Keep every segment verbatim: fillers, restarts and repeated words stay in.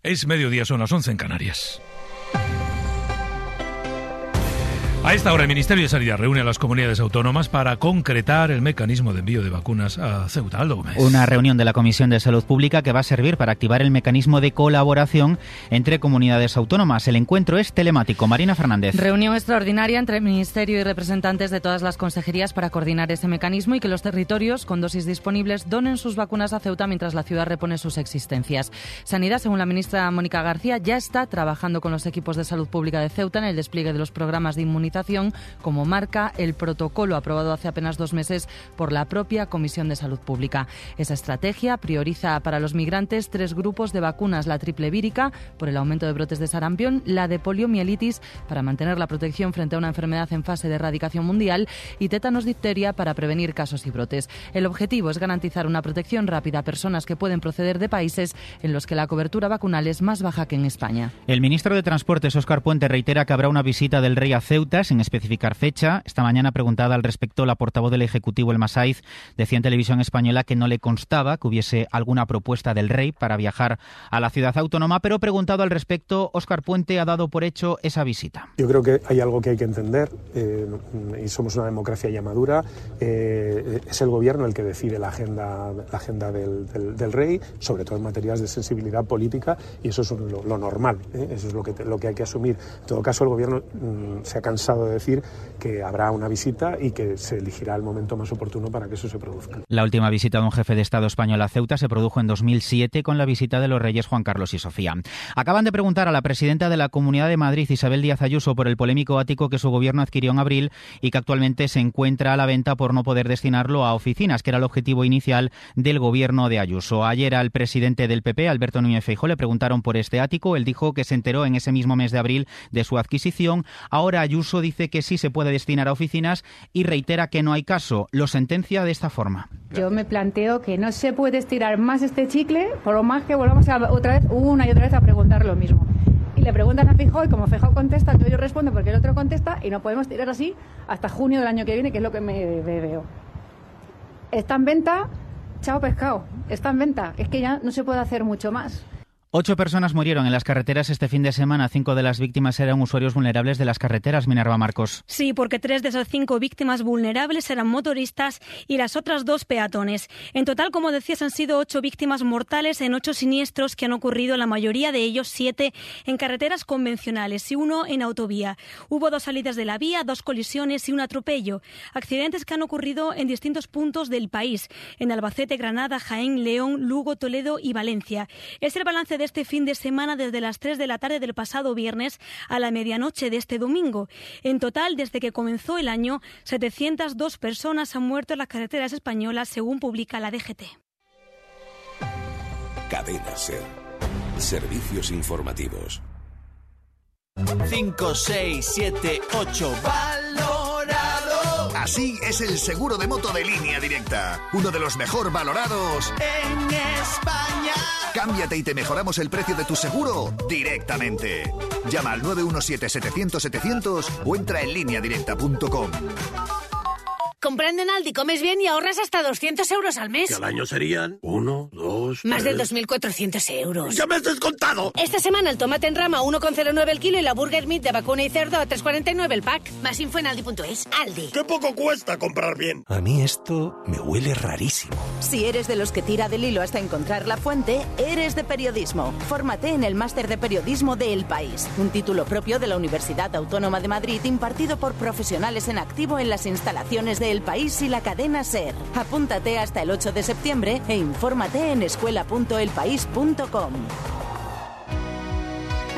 Es mediodía, son las once en Canarias. A esta hora el Ministerio de Sanidad reúne a las comunidades autónomas para concretar el mecanismo de envío de vacunas a Ceuta. Aldo Gómez. Una reunión de la Comisión de Salud Pública que va a servir para activar el mecanismo de colaboración entre comunidades autónomas. El encuentro es telemático. Marina Fernández. Reunión extraordinaria entre el Ministerio y representantes de todas las consejerías para coordinar ese mecanismo y que los territorios con dosis disponibles donen sus vacunas a Ceuta mientras la ciudad repone sus existencias. Sanidad, según la ministra Mónica García, ya está trabajando con los equipos de salud pública de Ceuta en el despliegue de los programas de inmunización, como marca el protocolo aprobado hace apenas dos meses por la propia Comisión de Salud Pública. Esa estrategia prioriza para los migrantes tres grupos de vacunas: la triple vírica, por el aumento de brotes de sarampión, la de poliomielitis, para mantener la protección frente a una enfermedad en fase de erradicación mundial, y tétanos difteria, para prevenir casos y brotes. El objetivo es garantizar una protección rápida a personas que pueden proceder de países en los que la cobertura vacunal es más baja que en España. El ministro de Transportes, Óscar Puente, reitera que habrá una visita del rey a Ceuta, sin especificar fecha. Esta mañana, preguntada al respecto, la portavoz del Ejecutivo, El Masaiz, decía en Televisión Española que no le constaba que hubiese alguna propuesta del rey para viajar a la ciudad autónoma, pero preguntado al respecto, Óscar Puente ha dado por hecho esa visita. Yo creo que hay algo que hay que entender, eh, y somos una democracia ya madura. Eh, es el gobierno el que decide la agenda, la agenda del, del, del rey, sobre todo en materias de sensibilidad política, y eso es lo, lo normal, ¿eh? Eso es lo que, lo que hay que asumir. En todo caso, el gobierno mm, se ha cansado de decir que habrá una visita y que se elegirá el momento más oportuno para que eso se produzca. La última visita de un jefe de Estado español a Ceuta se produjo en dos mil siete con la visita de los reyes Juan Carlos y Sofía. Acaban de preguntar a la presidenta de la Comunidad de Madrid, Isabel Díaz Ayuso, por el polémico ático que su gobierno adquirió en abril y que actualmente se encuentra a la venta por no poder destinarlo a oficinas, que era el objetivo inicial del gobierno de Ayuso. Ayer al presidente del P P, Alberto Núñez Feijóo, le preguntaron por este ático. Él dijo que se enteró en ese mismo mes de abril de su adquisición. Ahora Ayuso dice que sí se puede destinar a oficinas y reitera que no hay caso. Lo sentencia de esta forma. Yo me planteo que no se puede estirar más este chicle, por lo más que volvamos a, otra vez, una y otra vez a preguntar lo mismo. Y le preguntan a Feijóo y como Feijóo contesta, entonces yo respondo porque el otro contesta y no podemos tirar así hasta junio del año que viene, que es lo que me, me veo. Está en venta, chao pescado, está en venta. Es que ya no se puede hacer mucho más. Ocho personas murieron en las carreteras este fin de semana. Cinco de las víctimas eran usuarios vulnerables de las carreteras. Minerva Marcos. Sí, porque tres de esas cinco víctimas vulnerables eran motoristas y las otras dos peatones. En total, como decías, han sido ocho víctimas mortales en ocho siniestros que han ocurrido, la mayoría de ellos, siete, en carreteras convencionales y uno en autovía. Hubo dos salidas de la vía, dos colisiones y un atropello. Accidentes que han ocurrido en distintos puntos del país, en Albacete, Granada, Jaén, León, Lugo, Toledo y Valencia. Es el balance de este fin de semana desde las tres de la tarde del pasado viernes a la medianoche de este domingo. En total, desde que comenzó el año, setecientas dos personas han muerto en las carreteras españolas, según publica la D G T. Cadena SER. Servicios informativos. cinco, seis, siete, ocho. ¡Valorado! Así es el seguro de moto de Línea Directa. Uno de los mejor valorados en España. Cámbiate y te mejoramos el precio de tu seguro directamente. Llama al nueve uno siete, setecientos, setecientos o entra en línea directa punto com. Comprando en Aldi comes bien y ahorras hasta doscientos euros al mes. Que al año serían uno, dos, Más tres... de dos mil cuatrocientos euros. ¡Ya me has descontado! Esta semana el tomate en rama uno coma cero nueve el kilo y la burger meat de vacuna y cerdo a tres coma cuarenta y nueve el pack. Más info en aldi punto es. Aldi. ¡Qué poco cuesta comprar bien! A mí esto me huele rarísimo. Si eres de los que tira del hilo hasta encontrar la fuente, eres de periodismo. Fórmate en el Máster de Periodismo de El País, un título propio de la Universidad Autónoma de Madrid impartido por profesionales en activo en las instalaciones de El País y la cadena SER. Apúntate hasta el ocho de septiembre e infórmate en escuela punto el país punto com.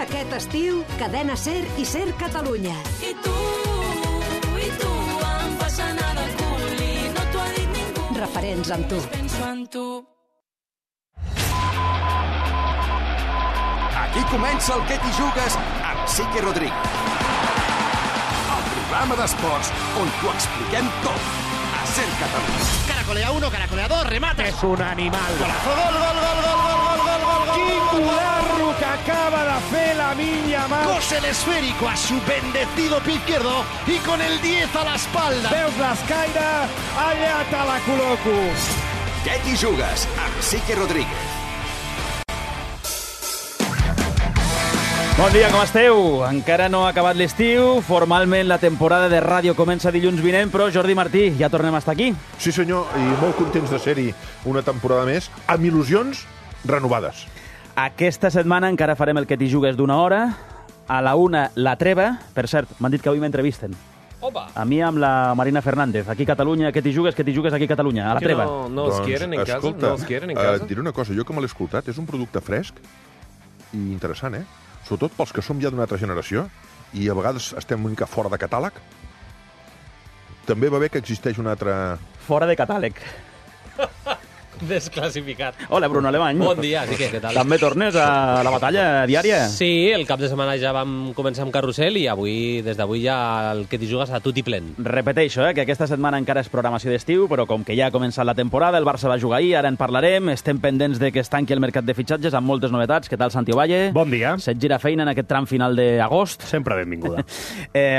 Aquest estiu, cadena SER i SER Catalunya. I tu, i tu, em fas anar del cul i no t'ho ha dit ningú. Referents amb tu. Penso en tu. Aquí comença el Què t'hi jugues amb Sique Rodríguez. El programa d'esports on t'ho expliquem tot. A SER Catalunya. Caracolea uno, caracolea dos, remate. Es un animal. Golazo, gol, gol, gol, gol, gol, gol, gol, gol, gol. Quin golazo que acaba de fer Lamine Yamal. Cose el esférico a su bendecido pie izquierdo y con el diez a la espalda. Veus l'escaire? Allà te la col·loco. Què t'hi jugues amb Sique Rodríguez. Bon dia, com esteu? Encara no ha acabat l'estiu, formalment la temporada de ràdio comença dilluns vinent, però Jordi Martí, ja tornem a estar aquí. Sí, senyor, i molt contents de ser-hi una temporada més, amb il·lusions renovades. Aquesta setmana encara farem el que t'hi jugues d'una hora, a la una la treva, per cert, m'han dit que avui m'entrevisten. Opa. A mi amb la Marina Fernández, aquí a Catalunya, que t'hi jugues, que t'hi jugues aquí a Catalunya, a la treva. No, no els quieren en casa, escolta, no els quieren en casa. Et diré una cosa, jo que me l'he escoltat, és un producte fresc i interessant, eh? Sobretot pels que som ja d'una altra generació i a vegades estem una mica fora de catàleg. També va bé que existeix un altre... Fora de catàleg. Desclassificat. Hola, Bruno Alemany. Bon dia, Quique, què tal? També tornes a la batalla diària? Sí, el cap de setmana ja vam començar amb carrusel i avui, des d'avui ja el que t'hi jugues a tutti plen. Repeteixo, eh, que aquesta setmana encara és programació d'estiu, però com que ja ha començat la temporada, el Barça va jugar ahir, ara en parlarem, estem pendents de que es tanqui el mercat de fitxatges amb moltes novetats. Què tal, Santi Ovalle? Bon dia. Se't gira feina en aquest tram final d'agost. Sempre benvinguda. eh,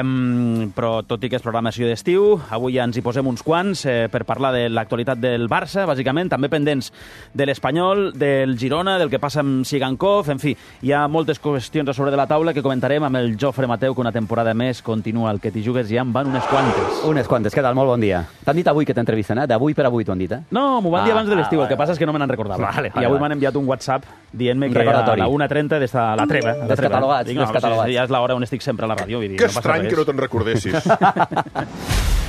però tot i que és programació d'estiu, avui ja ens hi posem uns quants eh, per parlar de l'actualitat del Barça, bàsicament, també pendents de l'Espanyol, del Girona, del que passa amb Sigankov, en fi, hi ha moltes qüestions a sobre de la taula que comentarem amb el Jofre Mateu, que una temporada més continua el que t'hi jugues, ja en van unes quantes. Unes quantes, què tal? Molt bon dia. T'han dit avui que t'entrevisten, eh? D'avui per avui t'ho han dit, eh? No, m'ho van dir Ah, abans de l'estiu, ah, el que passa és que no me n'han recordat. Vale, I vale, avui vale. m'han enviat un WhatsApp dient-me Un que a recordatori. la una trenta des de la treva. a la treva. Descatalogats, Dic, no, descatalogats. sí, sí, ja és l'hora on estic sempre a la ràdio. Vull dir, Que no passa estrany res. que no te'n recordessis.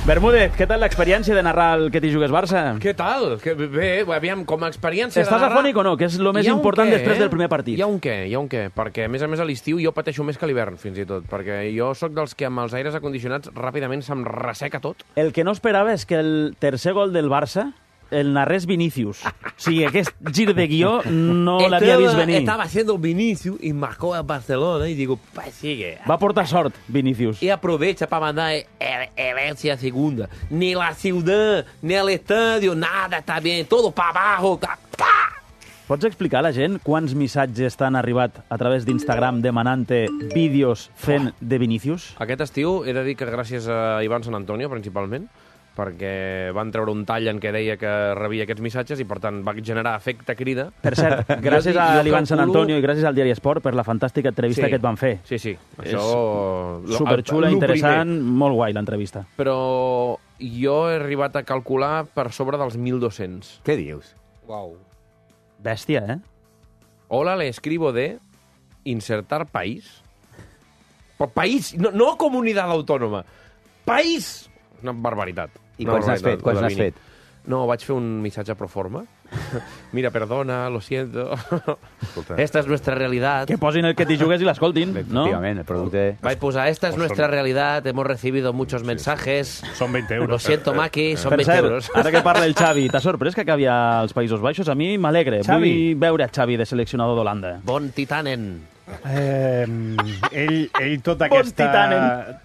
Bermúdez, què tal l'experiència de narrar el que t'hi jugues Barça? Què tal? Que bé, aviam, com a experiència Estàs de narrar... afònic o no? Que és el més Hi ha un important què, després eh? del primer partit. Hi ha un què, hi ha un què, perquè a més a més a l'estiu jo pateixo més que a l'hivern, fins i tot, perquè jo sóc dels que amb els aires acondicionats ràpidament se'm resseca tot. El que no esperava és que el tercer gol del Barça el narrés Vinícius. O sigui, aquest gir de guió no l'havia vist venir. Estaba haciendo Vinicius y marcó a Barcelona y digo, pues sigue. Va portar sort, Vinícius. Y aprovecha para mandar el- herencia segunda. Ni la ciudad, ni el estadio, nada está bien, todo para abajo. Pots explicar a la gent quants missatges t'han arribat a través d'Instagram demanant-te vídeos fent de Vinícius? Aquest estiu he de dir que gràcies a Ivan San Antonio, principalment, perquè van treure un tall en què deia que rebia aquests missatges i, per tant, va generar efecte crida. Per cert, gràcies Jo dic- a jo l'Ivan San calculo- Antonio i gràcies al Diari Esport per la fantàstica entrevista Sí. que et van fer. Sí, sí. És Això... superxula, el- el interessant, primer. molt guai l'entrevista. Però jo he arribat a calcular per sobre dels mil dos-cents. Què dius? Uau. Bèstia, eh? Hola, le escribo de insertar país. Però país, no, no comunitat autònoma. País! Una barbaritat. I Una quants n'has barbaritat, fet? Quants lo de n'has Vini. fet? No, vaig fer un missatge pro forma. Mira, perdona, lo siento. Esta es nuestra realidad. Que posin el que t'hi jugues i l'escoltin, no? Efectivament, el producte... Vaig posar, esta es Pues nuestra son- realidad, hemos recibido muchos mensajes. Son veinte euros. Lo siento, Maki, son Per veinte cert, euros. ara que parla el Xavi, t'ha sorprès que acabi als Països Baixos? A mi m'alegra. Xavi. Vull veure a Xavi de seleccionador d'Holanda. Bon titanen. Eh, ell, ell tot Bon aquesta... titanen.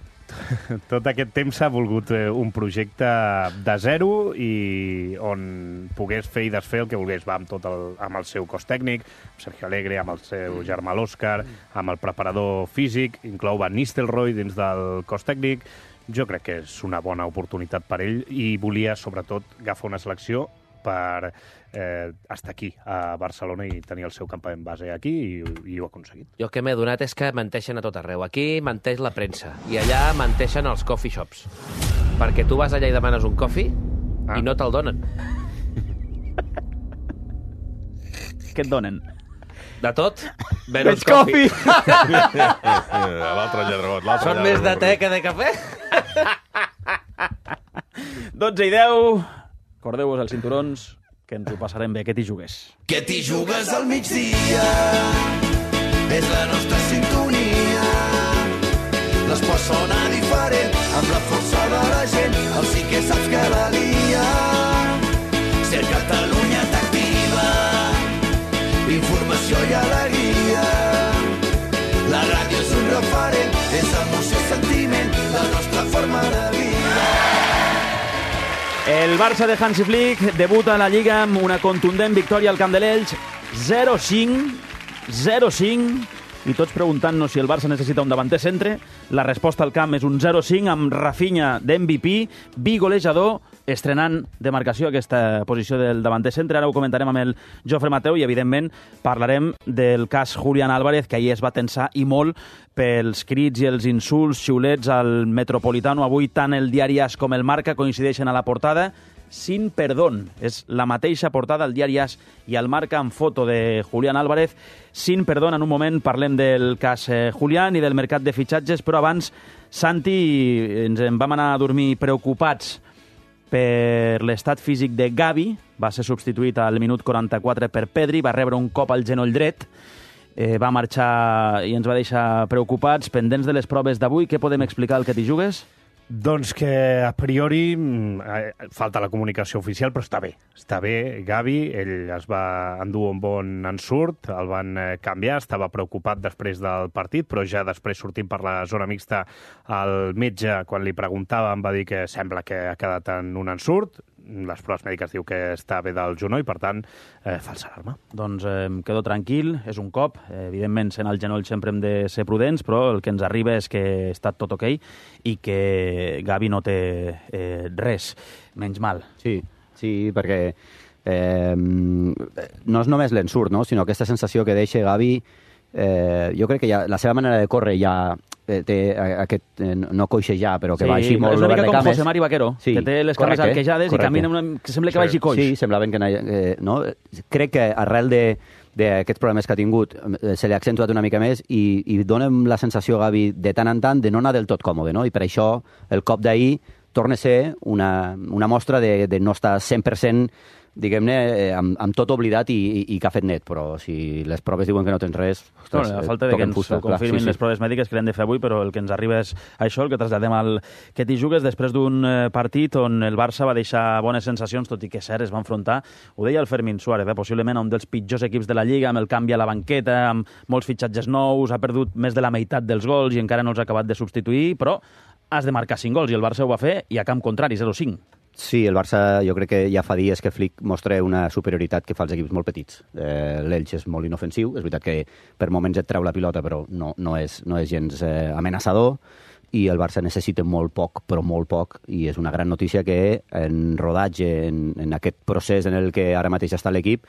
Tot aquest temps s'ha volgut eh, un projecte de zero i on pogués fer i desfer el que volgués. Va amb, tot el, amb el seu cos tècnic, amb Sergio Alegre, amb el seu germà l'Òscar, amb el preparador físic, inclou Van Nistelrooy dins del cos tècnic. Jo crec que és una bona oportunitat per ell i volia, sobretot, agafar una selecció per eh, estar aquí, a Barcelona, i tenir el seu campament base aquí, i, i ho ha aconseguit. Jo el que m'he donat és que menteixen a tot arreu. Aquí menteix la premsa i allà menteixen els coffee shops. Perquè tu vas allà i demanes un coffee ah. i no te'l donen. Què et donen? De tot, menys Menys coffee. L'altre lladregot, l'altre Són més de lladregot. te que de cafè. dotze i deu. Recordeu-vos els cinturons, que ens ho passarem bé. Que t'hi jugues. Que t'hi jugues al migdia, és la nostra sintonia. L'esport sona diferent, amb la força de la gent, el sí que saps que la lia. Ser Catalunya t'activa, informació i alegria. La ràdio és un referent, és emoció i sentiment, la nostra forma de vida. El Barça de Hansi Flick debuta a la Lliga amb una contundent victòria al Camp de l'Elx, zero cinc, zero cinc, i tots preguntant-nos si el Barça necessita un davanter centre. La resposta al camp és un zero cinc amb Rafinha d'M V P, vi golejador, estrenant demarcació aquesta posició del davanter centre. Ara ho comentarem amb el Jofre Mateu i, evidentment, parlarem del cas Julián Álvarez, que ahir es va tensar i molt pels crits i els insults, xiulets al Metropolitano. Avui tant el diari As com el Marca coincideixen a la portada. Sin perdón. És la mateixa portada al diari As i al Marca amb foto de Julián Álvarez. Sin perdón. En un moment parlem del cas eh, Julián i del mercat de fitxatges, però abans, Santi, ens en vam anar a dormir preocupats per l'estat físic de Gavi. Va ser substituït al minut quaranta-quatre per Pedri, va rebre un cop al genoll dret, eh, va marxar i ens va deixar preocupats, pendents de les proves d'avui. Què podem explicar al que t'hi jugues? Doncs que a priori eh, falta la comunicació oficial, però està bé. Està bé, Gavi, ell es va endur un bon ensurt, el van eh, canviar, estava preocupat després del partit, però ja després sortint per la zona mixta el metge, quan li preguntava, em va dir que sembla que ha quedat en un ensurt. Les proves mèdiques diu que està bé del genoll, per tant, eh, falsa alarma. Doncs eh, em quedo tranquil, és un cop. Eh, evidentment, sent el genoll sempre hem de ser prudents, però el que ens arriba és que està tot ok i que Gavi no té eh, res, menys mal. Sí, sí, perquè eh, no és només l'ensurt, no? Sinó aquesta sensació que deixa Gavi, eh, jo crec que ja, la seva manera de córrer ja eh, té aquest, eh, no coixejar, però que sí, va així molt obert de cames. És una mica com José Mari Vaquero, sí, que té les cames correcte, arquejades correcte. I camina una, que sembla que vagi coix. Sí, semblaven que... Eh, no? Crec que arrel de d'aquests problemes que ha tingut eh, se li ha accentuat una mica més i, i donem la sensació, Gavi, de tant en tant de no anar del tot còmode, no? I per això el cop d'ahir torna a ser una, una mostra de, de no estar cent per cent, diguem-ne, eh, amb, amb tot oblidat i, i, i que ha fet net, però si les proves diuen que no tens res... Ostres, no, a falta de que ens fusta, confirmin clar, sí, sí. les proves mèdiques que l'hem de fer avui, però el que ens arriba és això, el que traslladem al que t'hi jugues després d'un partit on el Barça va deixar bones sensacions, tot i que cert, es va enfrontar, ho deia el Fermín Suárez, eh, possiblement a un dels pitjors equips de la Lliga, amb el canvi a la banqueta, amb molts fitxatges nous, ha perdut més de la meitat dels gols i encara no els ha acabat de substituir, però has de marcar cinc gols i el Barça ho va fer i a camp contrari, zero cinc. Sí, el Barça jo crec que ja fa dies que Flick mostra una superioritat que fa als equips molt petits. Eh, L'Elx és molt inofensiu, és veritat que per moments et treu la pilota, però no, no, és, no és gens eh, amenaçador, i el Barça necessita molt poc, però molt poc, i és una gran notícia que en rodatge, en, en aquest procés en el que ara mateix està l'equip,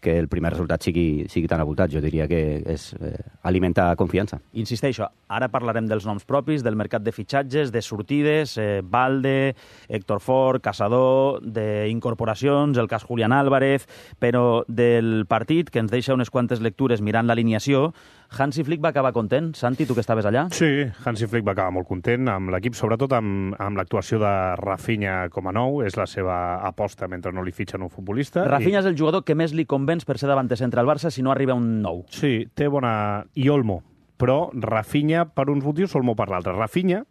que el primer resultat sigui, sigui tan avoltat. Jo diria que és eh, alimenta confiança. Insisteixo, ara parlarem dels noms propis, del mercat de fitxatges, de sortides, eh, Balde, Héctor Fort, Caçador, d'incorporacions, el cas Julián Álvarez, però del partit, que ens deixa unes quantes lectures mirant l'alineació, Hansi Flick va acabar content. Santi, tu que estaves allà? Sí, Hansi Flick va acabar molt content amb l'equip, sobretot amb, amb l'actuació de Rafinha com a nou. És la seva aposta mentre no li fitxen un futbolista. Rafinha i... és el jugador que més li convenç per ser davanter centre al Barça si no arriba un nou. Sí, té bona... I Olmo. Però Rafinha per uns motius, Olmo per l'altre. Rafinha,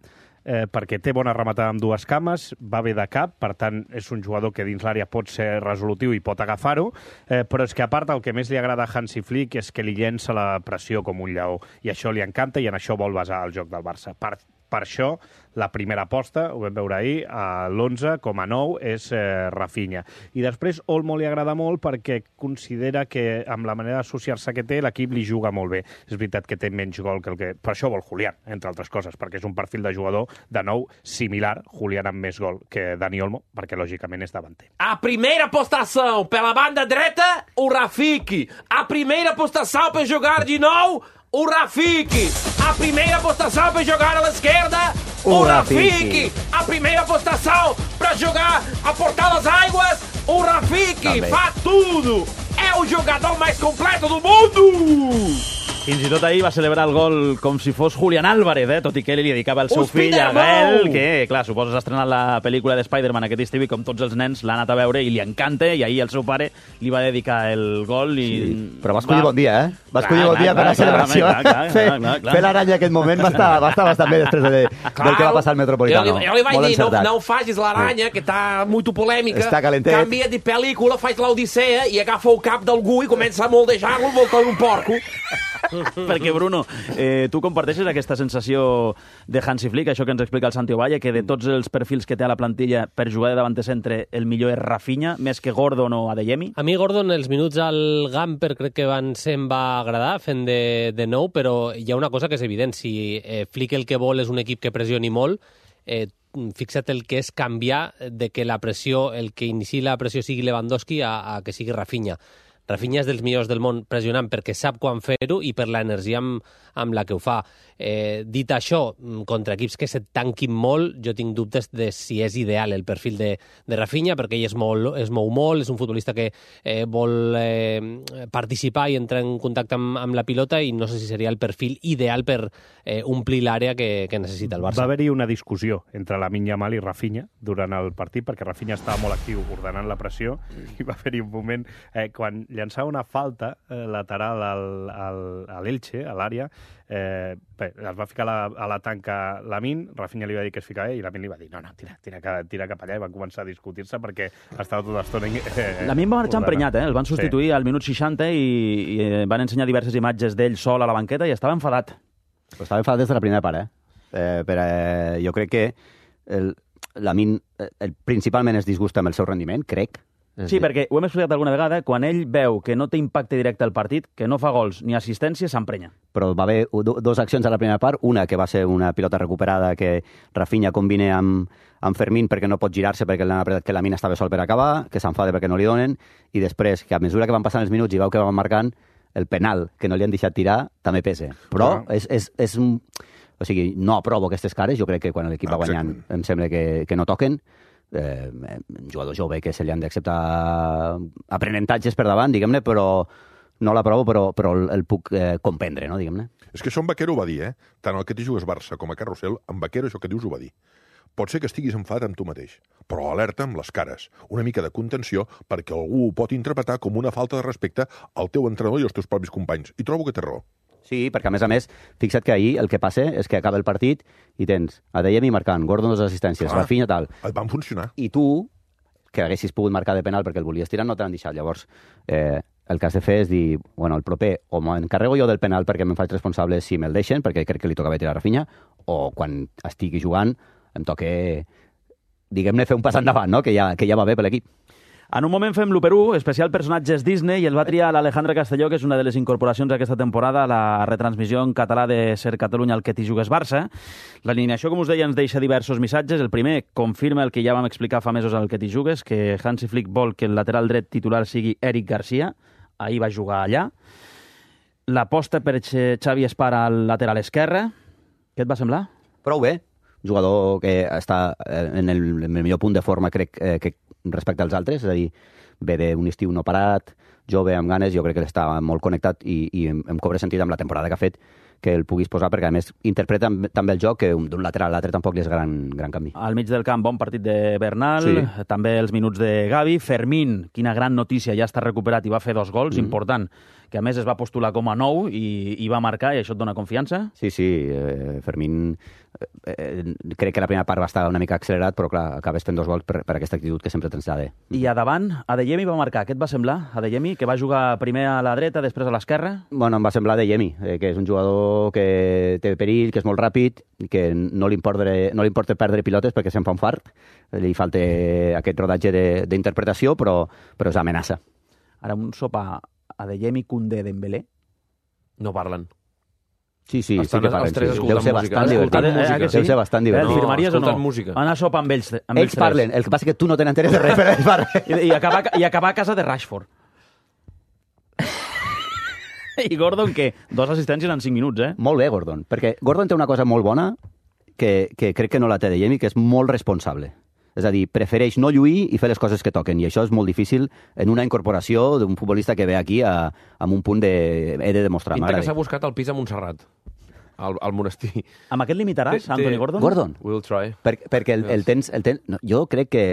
eh, perquè té bona rematada amb dues cames, va bé de cap, per tant, és un jugador que dins l'àrea pot ser resolutiu i pot agafar-ho, eh, però és que, a part, el que més li agrada a Hansi Flick és que li llença la pressió com un lleó, i això li encanta i en això vol basar el joc del Barça. Per, per això, la primera aposta, ho vam veure ahir, a l'onze com a nou és eh, Rafinha. I després Olmo li agrada molt perquè considera que amb la manera d'associar-se que té, l'equip li juga molt bé. És veritat que té menys gol que el que... Per això vol Julián, entre altres coses, perquè és un perfil de jugador, de nou, similar, Julián amb més gol que Dani Olmo, perquè lògicament és davanter. A primeira postação pela banda dreta, o Rafiki. A primeira postação para jogar de nou, o Rafiki. A primeira postação para jogar a l'esquerda, o Rafiki. A primeira postação para jogar a Portal das Águas, o Rafiki. Fa tudo. É o jogador mais completo do mundo. Fins i tot ahir va celebrar el gol com si fos Julián Álvarez, eh? Tot i que ell li dedicava el seu fill a Gael, que, clar, suposa s'ha estrenat la pel·lícula de Spider-Man aquest estiu i com tots els nens l'ha anat a veure i li encanta, i ahir el seu pare li va dedicar el gol i... Sí, però va escollir va... bon dia, eh? Va escollir clar, bon dia clar, per clar, la celebració. Clar, clar, fer, clar, clar, clar. fer l'aranya aquest moment va estar, va estar bastant bé després de, del que va passar al Metropolitano. Jo, jo li vaig dir, no, no facis l'aranya, que està molt polèmica. Està calentet. Canvia de pel·lícula, faig l'Odissea i agafa el cap d'algú i comença a moldejar-lo voltant un porco. Perquè, Bruno, eh, tu comparteixes aquesta sensació de Hansi Flick, això que ens explica el Santi Ovalle, que de tots els perfils que té a la plantilla per jugar de davanter centre, el millor és Rafinha, més que Gordon o Adeyemi? A mi Gordon, els minuts al Gamper crec que van ser, em va agradar, fent de, de nou, però hi ha una cosa que és evident, si eh, Flick el que vol és un equip que pressioni molt, eh, fixa't el que és canviar de que la pressió, el que inici la pressió sigui Lewandowski a, a que sigui Rafinha. Rafinha és dels millors del món pressionant perquè sap quan fer-ho i per l'energia amb, amb la que ho fa. Eh, dit això, contra equips que se't tanquin molt, jo tinc dubtes de si és ideal el perfil de, de Rafinha, perquè ell es mou, es mou molt, és un futbolista que eh, vol eh, participar i entrar en contacte amb, amb la pilota, i no sé si seria el perfil ideal per eh, omplir l'àrea que, que necessita el Barça. Va haver-hi una discussió entre Lamine Yamal i Rafinha durant el partit, perquè Rafinha estava molt actiu ordenant la pressió, i va haver-hi un moment eh, quan llançava una falta eh, lateral al, al, a l'Elche, a l'àrea, eh, bé, es va ficar a la, a la tanca Lamine, Rafinha li va dir que es ficava ell, i Lamine li va dir, no, no, tira, tira, tira cap allà, i van començar a discutir-se perquè estava tota l'estona... Eh, Lamine va marxar emprenyat, eh? El van substituir sí. al minut seixanta i, i van ensenyar diverses imatges d'ell sol a la banqueta i estava enfadat. Però estava enfadat des de la primera part, eh? eh per, eh jo crec que el, Lamine el, principalment es disgusta amb el seu rendiment, crec. Sí, perquè ho hem explicat alguna vegada, quan ell veu que no té impacte directe al partit, que no fa gols ni assistència, s'emprenya. Però va haver dues accions a la primera part, una que va ser una pilota recuperada que Rafinha combina amb, amb Fermín perquè no pot girar-se perquè l'han apretat que la mina estava sol per acabar, que s'enfada perquè no li donen, i després, que a mesura que van passant els minuts i veu que van marcant, el penal que no li han deixat tirar també pesa. Però no. és, és, és un... O sigui, no aprovo aquestes cares, jo crec que quan l'equip va guanyant em sembla que, que no toquen. Eh, un jugador jove que se li han d'acceptar aprenentatges per davant, diguem-ne, però no l'aprovo, però, però el, el puc eh, comprendre, no, diguem-ne. És que això en Vaquero ho va dir, eh? Tant el que t'hi jugues Barça com a Carrusel, en Vaquero això que dius ho va dir. Pot ser que estiguis enfadat amb tu mateix, però alerta amb les cares, una mica de contenció, perquè algú ho pot interpretar com una falta de respecte al teu entrenador i als teus propis companys. I trobo que té raó. Sí, perquè a més a més, fixa't que ahir el que passa és que acaba el partit i tens Adeyemi marcant, Gordon dos assistències, ah, Rafinha tal. Et van funcionar. I tu, que haguessis pogut marcar de penal perquè el volies tirar, no t'han deixat. Llavors, eh, el que has de fer és dir, bueno, el proper, o m'encarrego jo del penal perquè me'n faig responsable si me'l deixen, perquè crec que li tocava tirar a Rafinha, o quan estigui jugant em toca, diguem-ne, fer un pas endavant, no? que, ja, que ja va bé per l'equip. En un moment fem l'u per u, especial personatges Disney, i el va triar l'Alejandre Castelló, que és una de les incorporacions d'aquesta temporada a la retransmissió en català de Ser Catalunya, el que t'hi jugues Barça. L'alineació, com us deia, ens deixa diversos missatges. El primer confirma el que ja vam explicar fa mesos al que t'hi jugues, que Hansi Flick vol que el lateral dret titular sigui Eric Garcia. Ahir va jugar allà. L'aposta per Xavi Espara al lateral esquerre. Què et va semblar? Prou bé. Jugador que està en el, en el millor punt de forma, crec, eh, que respecte als altres, és a dir, ve d'un estiu no parat, jove, amb ganes, jo crec que està molt connectat i, i em, em cobra sentit amb la temporada que ha fet que el puguis posar, perquè a més interpreta també el joc, que d'un lateral a l'altre tampoc li és gran, gran canvi. Al mig del camp, bon partit de Bernal, sí. També els minuts de Gavi. Fermín, quina gran notícia, ja està recuperat i va fer dos gols, mm. important, que a més es va postular com a nou i, i va marcar, i això et dona confiança? Sí, sí, eh, Fermín eh, crec que la primera part va estar una mica accelerat, però clar, acabes fent dos gols per, per aquesta actitud que sempre tens de. I a davant, Adeyemi va marcar, què et va semblar? Adeyemi, que va jugar primer a la dreta, després a l'esquerra? Bueno, em va semblar Adeyemi, eh, que és un jugador que té perill, que és molt ràpid, i que no li importa, no li importa perdre pilotes perquè se'n fa un fart, li falta aquest rodatge d'interpretació, però, però és amenaça. Ara un sopar Adeyemi, Koundé, Dembélé? No parlen. Sí, sí, Estan sí que parlen. els tres Sí. escoltant Deu ser música. bastant divertit. Eh, eh, que sí? Deu ser bastant divertit. Eh, firmaries no, o no? música. Anar a sopar amb ells, amb ells, ells parlen, el que passa que tu no te n'enteres de res, però ells parlen. I, i, acabar, I acabar a casa de Rashford. I Gordon, què? Dos assistències en cinc minuts, eh? Molt bé, Gordon, perquè Gordon té una cosa molt bona que, que crec que no la té Adeyemi, que és molt responsable. És a dir, prefereix no lluir i fer les coses que toquen, i això és molt difícil en una incorporació d'un futbolista que ve aquí a, amb un punt de... he de demostrar. Pinta que s'ha buscat el pis a Montserrat, al, al monestir. Amb aquest limitaràs, Anthony Gordon? Gordon. We'll try. Per, perquè el, el tens... El tens no, jo crec que...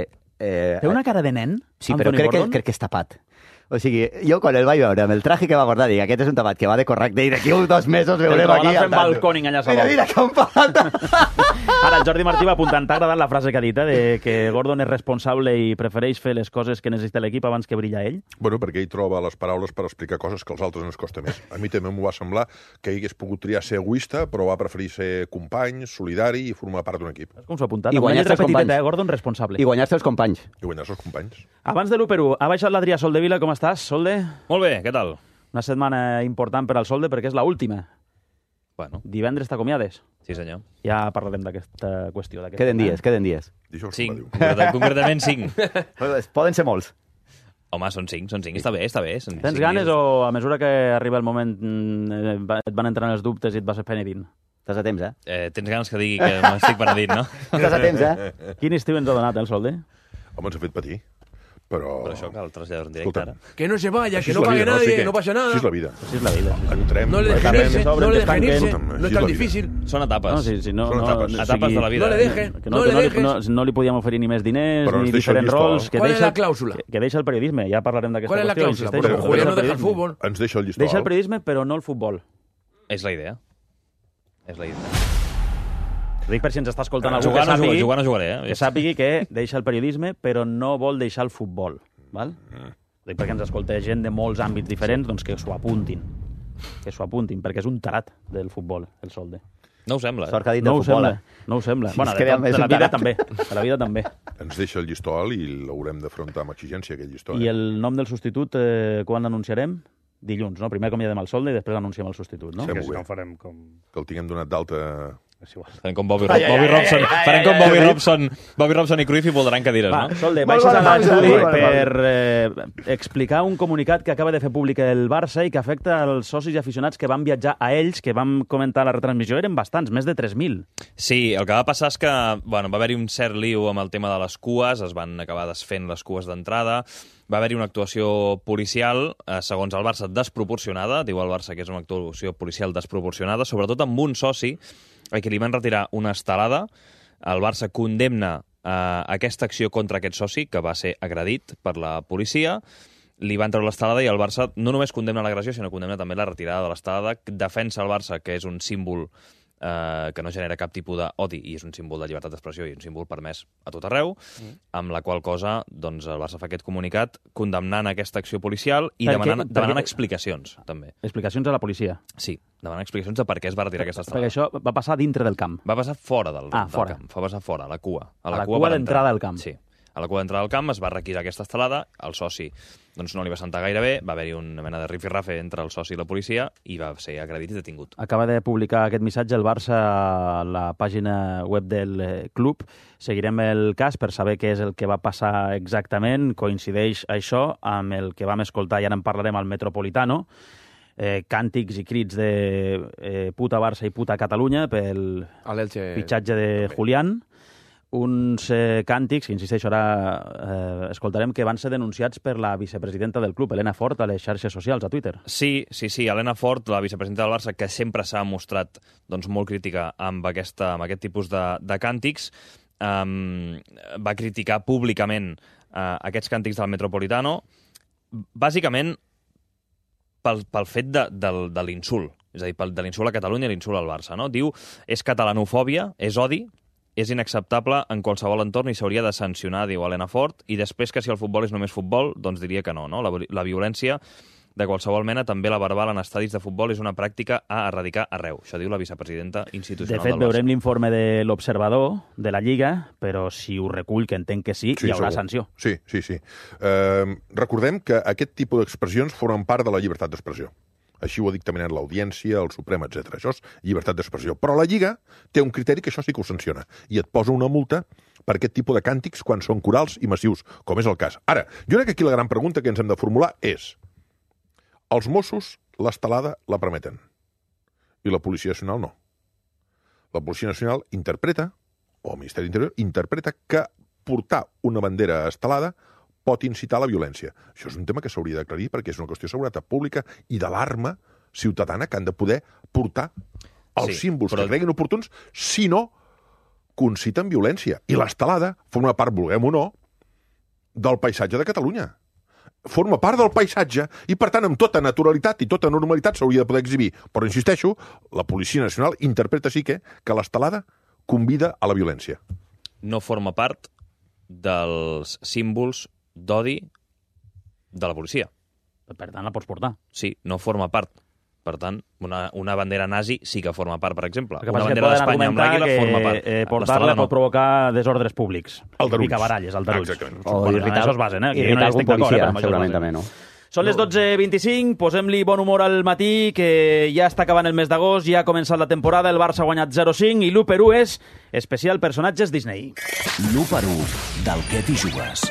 Eh, Té una cara de nen, sí, Anthony però crec Gordon? que, crec que és tapat. O sigui, jo quan el vaig veure amb el traje que va guardar, dic, aquest és un tapat que va de correcte i d'aquí uns dos mesos veurem aquí... Te fent balcòning allà a Mira, mira, com falta! Ara, el Jordi Martí va apuntant, t'ha agradat la frase que ha dit, eh, de que Gordon és responsable i prefereix fer les coses que necessita l'equip abans que brilla ell? Bueno, perquè ell troba les paraules per explicar coses que als altres ens costa més. A mi també m'ho va semblar que ell hagués pogut triar ser egoista, però va preferir ser company, solidari i formar part d'un equip. Com s'ho ha apuntat? I guanyar-se els companys. Eh, Gordon responsable. I guanyar-se els companys. I guanyar-se els companys. Abans de l'u per u, ha baixat l'Adrià Soldevila, com estàs, Solde? Molt bé, què tal? Una setmana important per al Solde perquè és l'última. Bueno. Divendres t'acomiades. Sí, senyor. Ja parlarem d'aquesta qüestió. Queden dies, queden dies. Cinc, concretament cinc. Poden ser molts. Home, són cinc, són cinc. Està bé, està bé. Són Tens cinc ganes dies. o a mesura que arriba el moment et van entrant els dubtes i et vas penedint? Estàs a temps, eh? eh tens ganes que digui que m'estic penedint, no? Estàs a temps, eh? Quin estiu ens ha donat, eh, el Solde? Home, ens ha fet patir. Però... Però això cal traslladar en directe ara. Que no se vaya, que no pague nadie, no pasa nada. Així és la vida. Així és la vida. Entrem... No le dejen irse, no le dejen irse, no es tan difícil. Són etapes. No, sí, sí, no, Són no, etapes. no, Etapes de la vida. No le dejen, que no, no que le no, li- dejes. no, no li podíem oferir ni més diners, Però ens ni deixa el diferents llistó. rols. Que ¿Cuál es deixa, la cláusula? Que, que deixa el periodisme, ja parlarem d'aquesta ¿Cuál es la qüestió. cláusula? insisteixo, Porque que Julián deixa no el deja el periodisme. fútbol. Ens deixa el llistó. Deixa el periodisme, però no el futbol. És la idea. És la idea. Ho dic per si ens està escoltant Eh, algú jugar que no sàpigui, jugar- jugar no jugaré, eh? que sàpigui que deixa el periodisme, però no vol deixar el futbol. Val? Mm. Ho dic perquè ens escolta gent de molts àmbits diferents, doncs que s'ho apuntin. Que s'ho apuntin, perquè és un tarat del futbol, el Solde. No ho sembla, eh? Sort que ha dit No del ho futbol, sembla, eh? no ho sembla. Si Bueno, es de, crea tot, més de la un vida tarat. també. De la vida també. Ens deixa el llistó alt i l'haurem d'afrontar amb exigència, aquest llistó. I Eh? el nom del substitut, eh, quan l'anunciarem? Dilluns, no? Primer acomiadem el Solde i després anunciem el substitut, no? Fem-ho Que si bé. no farem com... Que el tinguem donat d'alta... És igual. Farem com Bobby, Ai, ai, Bobby ai, Robson. ai, ai, Farem com ai, Bobby ai, ai. Robson, Bobby Robson i Cruyff i voldran cadires, Va, no? Solde, Molt baixes a bona pausa, l'estudi molt bona per eh, explicar un comunicat que acaba de fer públic el Barça i que afecta als socis i aficionats que van viatjar a ells, que vam comentar a la retransmissió, eren bastants, més de tres mil. Sí, el que va passar és que bueno, va haver-hi un cert liu amb el tema de les cues, es van acabar desfent les cues d'entrada, va haver-hi una actuació policial, eh, segons el Barça, desproporcionada, diu el Barça que és una actuació policial desproporcionada, sobretot amb un soci a qui li van retirar una estelada. El Barça condemna eh, aquesta acció contra aquest soci, que va ser agredit per la policia, li van treure l'estelada i el Barça no només condemna l'agressió, sinó condemna també la retirada de l'estelada, defensa el Barça, que és un símbol eh, que no genera cap tipus d'odi i és un símbol de llibertat d'expressió i un símbol permès a tot arreu, mm. amb la qual cosa doncs, el Barça fa aquest comunicat condemnant aquesta acció policial i Per demanant, què? demanant Perquè- explicacions, també. Explicacions a la policia. Sí, demanant explicacions de per què es va retirar aquesta Perquè estelada. això va passar dintre del camp. Va passar fora del, Ah, del fora. camp, va passar fora, a la cua. A la cua cua per d'entrada entrar. al camp. Sí. A la cua d'entrada al camp es va requisar aquesta estelada, el soci doncs, no li va sentar gaire bé, va haver-hi una mena de rifirrafe entre el soci i la policia i va ser agredit i detingut. Acaba de publicar aquest missatge el Barça a la pàgina web del eh, club. Seguirem el cas per saber què és el que va passar exactament. Coincideix això amb el que vam escoltar, i ara en parlarem, al Metropolitano. Eh, càntics i crits de eh, puta Barça i puta Catalunya pel A l'Elche fitxatge de també. Julián. Uns eh, càntics, que insisteixo, ara eh, escoltarem, que van ser denunciats per la vicepresidenta del club, Elena Fort, a les xarxes socials, a Twitter. Sí, sí, sí. Helena Fort, la vicepresidenta del Barça, que sempre s'ha mostrat doncs, molt crítica amb, aquesta, amb aquest tipus de, de càntics, um, va criticar públicament uh, aquests càntics del Metropolitano, bàsicament pel, pel fet de, del, de l'insult, és a dir, pel, de l'insult a Catalunya i l'insult al Barça. No? Diu, és catalanofòbia, és odi, és inacceptable en qualsevol entorn i s'hauria de sancionar, diu Helena Fort, i després que si el futbol és només futbol, doncs diria que no. no? La, la violència de qualsevol mena, també la verbal en estadis de futbol, és una pràctica a erradicar arreu. Això diu la vicepresidenta De institucional fet, del Barça. veurem l'informe de l'observador de la Lliga, però si ho recull, que entenc que sí, Sí, hi haurà segur. sanció. Sí, sí, sí. Eh, recordem que aquest tipus d'expressions formen part de la llibertat d'expressió. Així ho ha dictaminat l'Audiència, el Suprem, etcètera. Això és llibertat d'expressió. Però la Lliga té un criteri que això sí que ho sanciona i et posa una multa per aquest tipus de càntics quan són corals i massius, com és el cas. Ara, jo crec que aquí la gran pregunta que ens hem de formular és: els Mossos l'estelada la permeten i la Policia Nacional no. La Policia Nacional interpreta, o el Ministeri d'Interior interpreta, que portar una bandera estelada pot incitar a la violència. Això és un tema que s'hauria d'aclarir perquè és una qüestió de seguretat pública i d'alarma ciutadana que han de poder portar els Sí, símbols però- que creguin oportuns, si no conciten violència. I l'estelada forma part, vulguem o no, del paisatge de Catalunya. Forma part del paisatge i, per tant, amb tota naturalitat i tota normalitat s'hauria de poder exhibir. Però, insisteixo, la Policia Nacional interpreta sí que, que l'estelada convida a la violència. No forma part dels símbols d'odi de la policia. Per tant, la pots portar. Sí, no forma part. Per tant, una, una bandera nazi sí que forma part, per exemple. El que Una passa és que bandera poden d'Espanya amb l'àguila argumentar forma que part. eh, portar-la L'estelada no. pot provocar desordres públics. Aldarulls. Picabaralles, aldarulls. Exactament. O bueno, irritar, això es basen, eh? Que jo no hi algun estic d'acord, policia, eh, però amb això es segurament basen. també, no? Són les dotze vint-i-cinc, posem-li bon humor al matí, que ja està acabant el mes d'agost, ja ha començat la temporada, el Barça ha guanyat zero cinc i l'u per u és especial personatges Disney. L'u per u del Què t'hi jugues.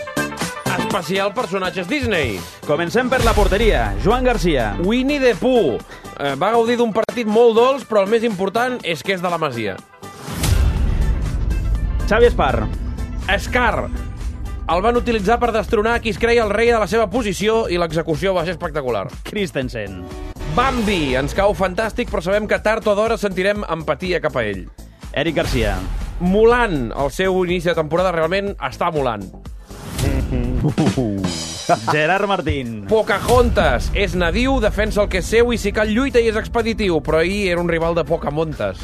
Especial personatges Disney. Comencem per la porteria. Joan Garcia. Winnie the Pooh. Eh, va gaudir d'un partit molt dolç, però el més important és que és de la Masia. Xavi Espar. Scar. El van utilitzar per destronar qui es creia el rei de la seva posició i l'execució va ser espectacular. Christensen. Bambi. Ens cau fantàstic, però sabem que tard o d'hora sentirem empatia cap a ell. Eric Garcia. Mulan. El seu inici de temporada realment està molant. Gerard Martín. Pocahontas. És nadiu, defensa el que és seu i si cal lluita i és expeditiu, però ahir era un rival de Pocamontes.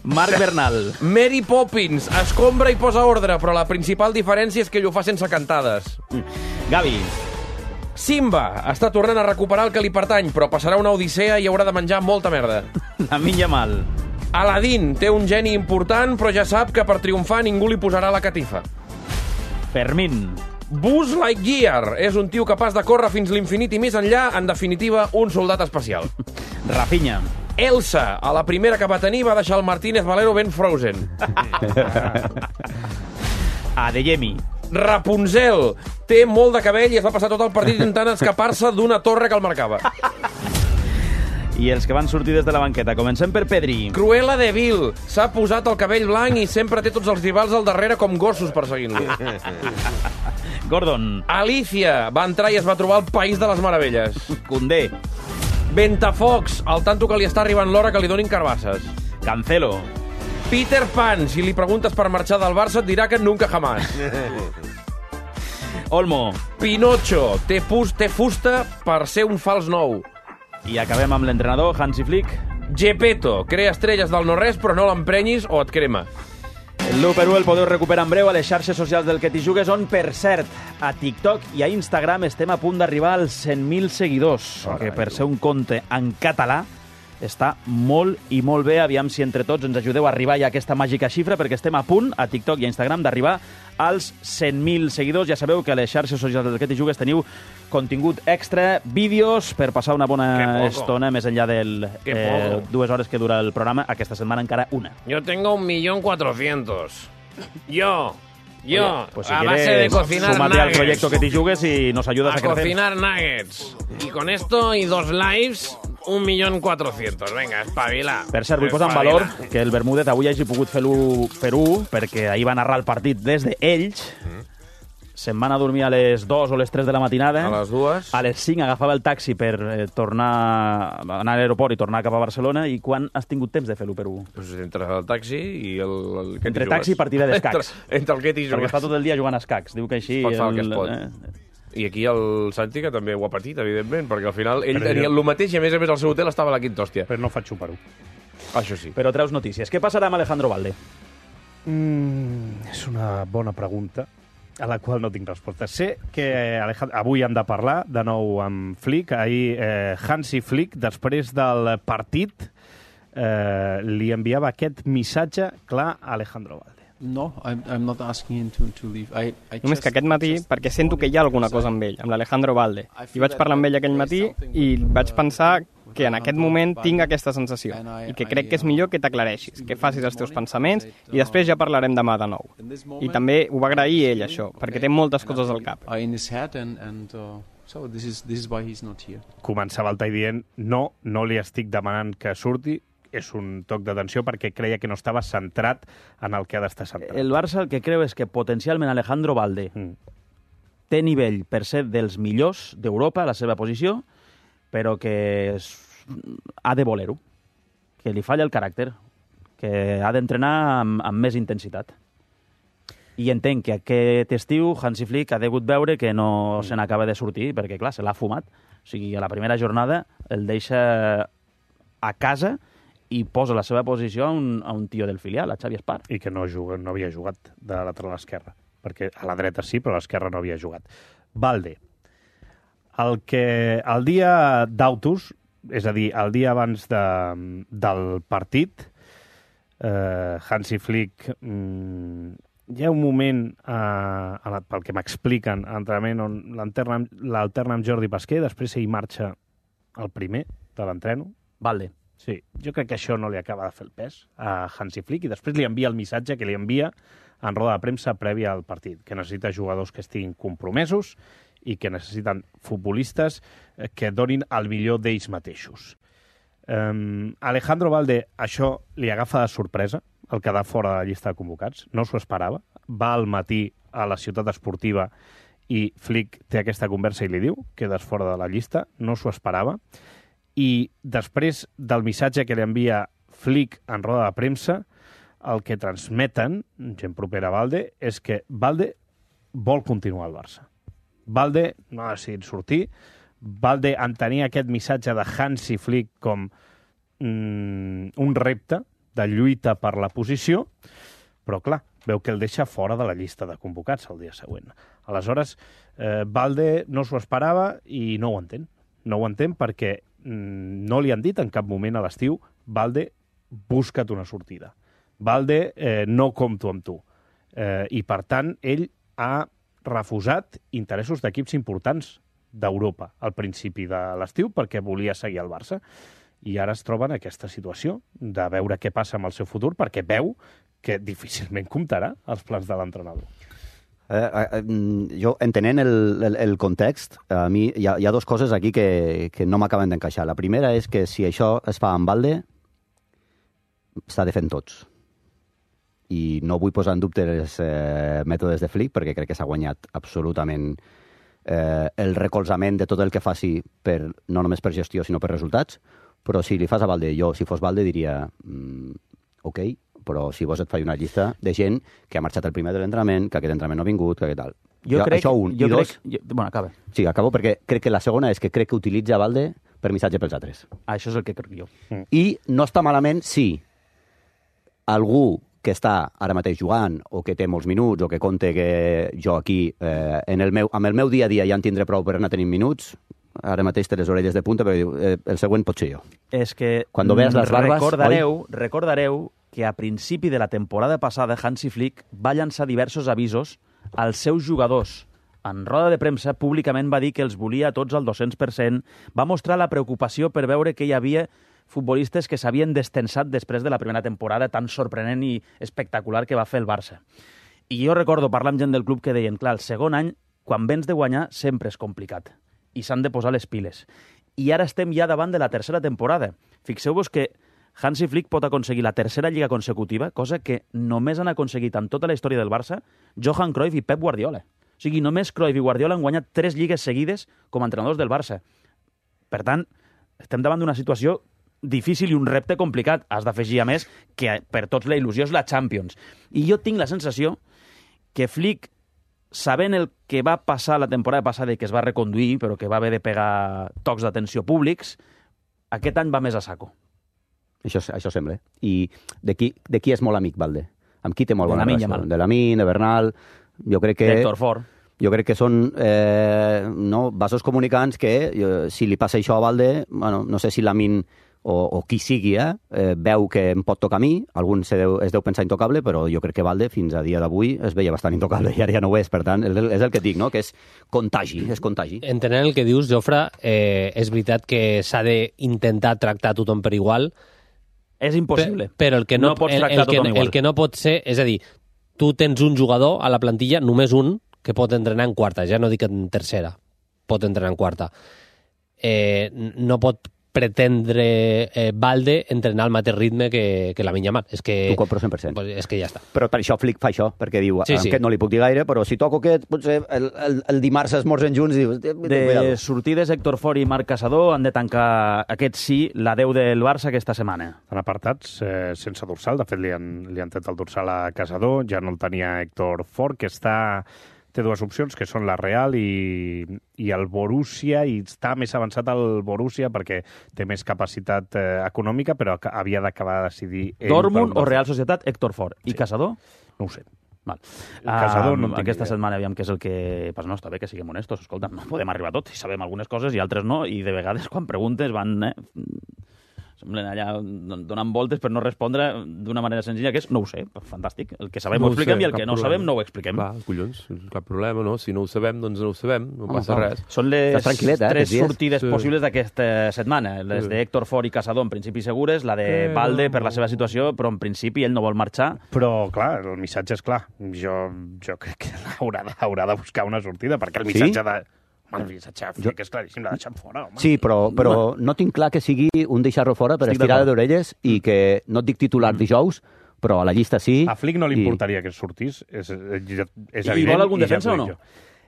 Marc Bernal. Mary Poppins. Escombra i posa ordre, però la principal diferència és que ell ho fa sense cantades. Gavi. Simba. Està tornant a recuperar el que li pertany, però passarà una odissea i haurà de menjar molta merda. Lamin Yamal. Aladdin. Té un geni important, però ja sap que per triomfar ningú li posarà la catifa. Fermín. Buzz Lightyear. És un tio capaç de córrer fins l'infinit i més enllà, en definitiva, un soldat especial. Rafinha. Elsa. A la primera que va tenir va deixar el Martínez Valero ben frozen. Adeyemi. Rapunzel. Té molt de cabell i es va passar tot el partit intentant escapar-se d'una torre que el marcava. I els que van sortir des de la banqueta. Comencem per Pedri. Cruella de Vil. S'ha posat el cabell blanc i sempre té tots els rivals al darrere com gossos perseguint-lo. Gordon. Alicia. Va entrar i es va trobar el País de les Meravelles. Condé. Ventafocs. Al tanto que li està arribant l'hora que li donin carbasses. Cancelo. Peter Pan. Si li preguntes per marxar del Barça et dirà que nunca jamás. Olmo. Pinocho. Té, fus, té fusta per ser un fals nou. I acabem amb l'entrenador, Hansi Flick. Gepetto. Crea estrelles del no-res, però no l'emprenyis o et crema. L'u per u el podeu recuperar en breu a les xarxes socials del Que t'hi jugues, on, per cert, a TikTok i a Instagram estem a punt d'arribar als cent mil seguidors, oh, que per ser un compte en català està molt i molt bé. Aviam si entre tots ens ajudeu a arribar ja a aquesta màgica xifra, perquè estem a punt, a TikTok i a Instagram, d'arribar als cent mil seguidors. Ja sabeu que a les xarxes socials del Que t'hi jugues teniu contingut extra, vídeos, per passar una bona estona més enllà del eh, dues hores que dura el programa. Aquesta setmana encara una. Yo tengo un millón cuatrocientos. Yo... Yo, Oye, pues si a base de cocinar súmate nuggets. al proyecto Que t'hi jugues y nos ayudas a, a crecer. cocinar nuggets. Y con esto y dos lives, un millón cuatrocientos. Venga, espabila. Per cert, vull posar en valor que el Bermúdez avui hagi pogut fer-ho fer-ho, perquè ahir va narrar el partit des d'Ells. Mm. Se'n van a dormir a les dues o les tres de la matinada. A les dues. A les cinc agafava el taxi per eh, tornar anar a l'aeroport i tornar cap a Barcelona. I quan has tingut temps de fer l'u per u? Pues entre el taxi i el... el que entre taxi i partida d'escacs. Entre, entre el que t'hi jugues. Perquè està tot el dia jugant a escacs. Diu que així... Pot fer el que es pot. Eh... I aquí el Santi, que també ho ha patit, evidentment, perquè al final ell Però tenia jo... el mateix i a més a més al seu hotel estava a la quinta hòstia. Però no faig xupar-ho. Això sí. Però treus notícies. Què passarà amb Alejandro Valde? Mm, és una bona pregunta a la qual no tinc resposta. Sé que Alejandro, avui hem de parlar de nou amb Flick. Ahir eh, Hansi Flick, després del partit, eh, li enviava aquest missatge clar a Alejandro Valde. No, I'm, I'm not asking him to, to leave. I, I Només que aquest matí, perquè sento que hi ha alguna cosa amb ell, amb l'Alejandro Valde. I vaig parlar amb ell aquell matí i vaig pensar que en aquest moment tinc aquesta sensació i que crec que és millor que t'aclareixis, que facis els teus pensaments i després ja parlarem demà de nou. I també ho va agrair ell, això, perquè té moltes coses al cap. Començava el tall dient no, no li estic demanant que surti, és un toc d'atenció perquè creia que no estava centrat en el que ha d'estar centrat. El Barça el que creu és que potencialment Alejandro Valde mm. té nivell per ser dels millors d'Europa a la seva posició, però que és... ha de voler-ho, que li falla el caràcter, que ha d'entrenar amb, amb més intensitat. I entenc que aquest estiu Hansi Flick ha degut veure que no mm. se n'acaba de sortir, perquè clar, se l'ha fumat. O sigui, a la primera jornada el deixa a casa i posa la seva posició a un, a un tio del filial, a Xavi Espar. I que no, juga, no havia jugat de lateral esquerra, perquè a la dreta sí, però a l'esquerra no havia jugat. Valde, el que el dia d'autos, és a dir, el dia abans de, del partit, eh, Hansi Flick mm, hi ha un moment, eh, pel que m'expliquen, a l'entrenament on l'alterna amb Jordi Pasquer, després ell marxa el primer de l'entreno. Valde. Sí, jo crec que això no li acaba de fer el pes a Hansi Flick i després li envia el missatge que li envia en roda de premsa prèvia al partit, que necessita jugadors que estiguin compromesos i que necessiten futbolistes que donin el millor d'ells mateixos. Um, Alejandro Valde, això li agafa de sorpresa, el quedar fora de la llista de convocats, no s'ho esperava, va al matí a la ciutat esportiva i Flick té aquesta conversa i li diu quedes fora de la llista, no s'ho esperava, i després del missatge que li envia Flick en roda de premsa, el que transmeten, gent propera a Valde, és que Valde vol continuar al Barça. Valde no ha decidit sortir, Valde entenia aquest missatge de Hansi Flick com mm, un repte de lluita per la posició, però clar, veu que el deixa fora de la llista de convocats el dia següent. Aleshores, eh, Valde no s'ho esperava i no ho entén. No ho entén perquè mm, no li han dit en cap moment a l'estiu Valde, busca't una sortida. Valde, eh, no compto amb tu. Eh, I, per tant, ell ha refusat interessos d'equips importants d'Europa al principi de l'estiu perquè volia seguir al Barça. I ara es troba en aquesta situació de veure què passa amb el seu futur perquè veu que difícilment comptarà els plans de l'entrenador. Eh, eh, jo, entenent el, el, el context, a mi hi ha, hi ha dues coses aquí que, que no m'acaben d'encaixar. La primera és que si això es fa amb Valde, s'ha de fer en tots. I no vull posar en dubte els eh, mètodes de Flick, perquè crec que s'ha guanyat absolutament eh, el recolzament de tot el que faci, per, no només per gestió, sinó per resultats. Però si li fas a Valde, jo, si fos Valde, diria mm, ok, però si vos et faig una llista de gent que ha marxat el primer de l'entrenament, que aquest entrenament no ha vingut, que tal. Jo, jo crec... Això un. Jo I crec, dos... jo, bueno, acaba. Sí, acabo perquè crec que la segona és que crec que utilitza Valde per missatge pels altres. Ah, això és el que crec jo. Mm. I no està malament si algú que està ara mateix jugant o que té molts minuts o que compte que jo aquí eh, en el meu, amb el meu dia a dia ja en tindré prou per anar tenint minuts, ara mateix té les orelles de punta perquè diu, eh, el següent pot ser jo. És que Cuando veas las barbas, recordareu, oi? recordareu que a principi de la temporada passada Hansi Flick va llançar diversos avisos als seus jugadors. En roda de premsa, públicament va dir que els volia tots al dos-cents per cent, va mostrar la preocupació per veure que hi havia futbolistes que s'havien destensat després de la primera temporada tan sorprenent i espectacular que va fer el Barça. I jo recordo parlar amb gent del club que deien, clar, el segon any, quan vens de guanyar, sempre és complicat. I s'han de posar les piles. I ara estem ja davant de la tercera temporada. Fixeu-vos que Hansi Flick pot aconseguir la tercera lliga consecutiva, cosa que només han aconseguit en tota la història del Barça Johan Cruyff i Pep Guardiola. O sigui, només Cruyff i Guardiola han guanyat tres lligues seguides com a entrenadors del Barça. Per tant, estem davant d'una situació difícil i un repte complicat. Has d'afegir, a més, que per tots la il·lusió és la Champions. I jo tinc la sensació que Flick, sabent el que va passar la temporada passada i que es va reconduir, però que va haver de pegar tocs d'atenció públics, aquest any va més a saco. Això, això sembla. I de qui, de qui és molt amic, Valde? Amb qui té molt bona relació? De Lamine, de Bernal... Jo crec que... D'Héctor Ford. Jo crec que són eh, no, vasos comunicants que, eh, si li passa això a Valde, bueno, no sé si Lamine o, o qui sigui, eh, eh, veu que em pot tocar a mi, algun se deu, es deu pensar intocable, però jo crec que Valde fins a dia d'avui es veia bastant intocable i ara ja no ho és, per tant, és el que dic, no? Que és contagi, és contagi. Entenent el que dius, Jofre, eh, és veritat que s'ha d'intentar tractar tothom per igual. És impossible. Per, però el que no, no pots el, tractar el, tothom que, igual. el que no pot ser, és a dir, tu tens un jugador a la plantilla, només un, que pot entrenar en quarta, ja no dic en tercera, pot entrenar en quarta. Eh, no pot pretendre eh, Valde entrenar al mateix ritme que, que la Yamal. És que... T'ho compro cent per cent. Pues és que ja està. Però per això Flick fa això, perquè diu, sí, sí. sí. aquest no li puc dir gaire, però si toco aquest, potser el, el, el dimarts esmorzen junts i dius... De sortides, Héctor Ford i Marc Caçador han de tancar aquest sí, la deu del Barça aquesta setmana. Estan apartats eh, sense dorsal, de fet li han, li han tret el dorsal a Caçador, ja no el tenia Héctor Ford, que està... té dues opcions, que són la Real i, i el Borussia, i està més avançat el Borussia perquè té més capacitat eh, econòmica, però havia d'acabar de decidir... Dortmund o Real Societat, Héctor Ford. I sí. Caçador? No ho sé. Val. Caçador um, no aquesta idea. setmana aviam què és el que... Pues no, està bé que siguem honestos, escolta, no podem arribar a tot, i sabem algunes coses i altres no, i de vegades quan preguntes van... Eh, Semblen allà donant voltes per no respondre d'una manera senzilla, que és no ho sé, fantàstic. El que sabem No ho ho expliquem sé, i el cap que no problema. sabem no ho expliquem. Va, collons, cap problema, no? Si no ho sabem, doncs no ho sabem, no Home, passa clar. res. Són les Estàs tranquil·let, eh, tres aquests dies? sortides Sí. possibles d'aquesta setmana. Les Sí. d'Héctor Ford i Casador, en principi segures, la de Eh, Valde no. per la seva situació, però en principi ell no vol marxar. Però, clar, el missatge és clar. Jo, jo crec que haurà de, haurà de buscar una sortida, perquè el Sí? missatge de... Home, el missatge jo... que és claríssim, l'ha deixat fora, home. Sí, però, però no tinc clar que sigui un deixar-lo fora per Estic estirada d'acord. d'orelles i que no et dic titular dijous, però a la llista sí. A Flick no li i- importaria que sortís, és, és, és I evident. vol algun i ja defensa t'ho o no? dic jo.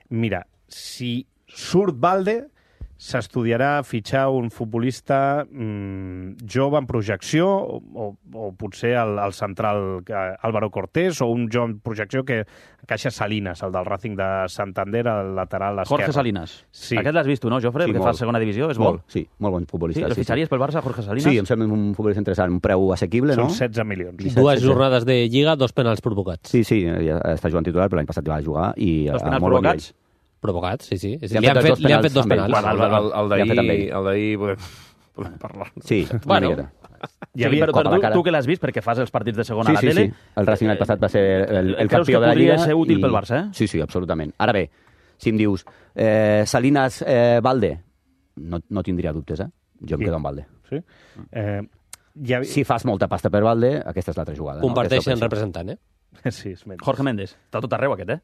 Mira, si surt Valde, s'estudiarà fitxar un futbolista mmm, jove en projecció o, o, o potser el, el central eh, Álvaro Cortés o un jove en projecció que encaixa Salinas, el del Racing de Santander, al lateral esquerre. Jorge Salinas. Sí. Aquest l'has vist tu, no, Jofre? Sí, Perquè molt. fa segona divisió, és Molt, molt. sí, molt bon futbolista. Sí, el fitxaries pel Barça, Jorge Salinas? Sí, em sembla un futbolista interessant, un preu assequible, Són no? setze milions. disset, Dues setze. jornades de Lliga, dos penals provocats. Sí, sí, ja està jugant titular, però l'any passat va jugar i Dos a penals molt bon provocats? nivell. Provocats, sí, sí. Li han Li han fet fet, dos li han fet dos penals penals. amb Bueno, el, el, el Ja ha fet amb d'ahir, ell. el d'ahir podem, podem parlar. Sí, una Bueno. miqueta. Sí, havia però, cop a però la tu, cara. tu que l'has vist, perquè fas els partits de segona Sí, a la sí, tele... sí. El Racing l'any passat va ser el, el Creus campió que de la Lliga. podria ser útil pel Barça, eh? Sí, sí, absolutament. Ara bé, si em dius eh, Salinas eh, Valde, no, no tindria dubtes, eh? Jo em Sí. quedo amb Valde. Sí? Eh, ja... Si fas molta pasta per Valde, aquesta és l'altra jugada. Comparteixen no? Aquesta representant, eh? Sí, és menys. Jorge Méndez. Està tot arreu, aquest, eh?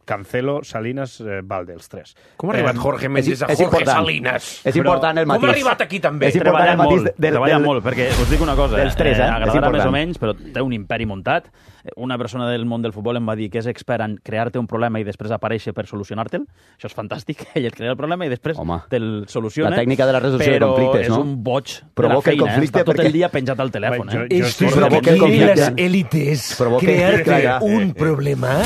Cancelo, Salinas, eh, Valde, els tres. Com ha arribat Eh, Jorge Méndez a és Jorge important. Salinas? És important el Com ha matís. arribat aquí també? És important el Treballant matís molt, del- treballant del- molt, perquè us dic una cosa, dels tres, eh? És agradarà important. més o menys, però té un imperi muntat. Una persona del món del futbol em va dir que és expert en crear-te un problema i després aparèixer per solucionar-te'l. Això és fantàstic. Ell et crea el problema i després Home, te'l soluciona. la tècnica de la resolució de conflictes, no? Però és un boig Provoca de el la feina, conflicte eh? Està tot perquè- el dia penjat al telèfon. Jo- Eh? jo Esto estic es lo que provoca el quieren las conflicte. élites. Provoca- Crearte Claro. un problema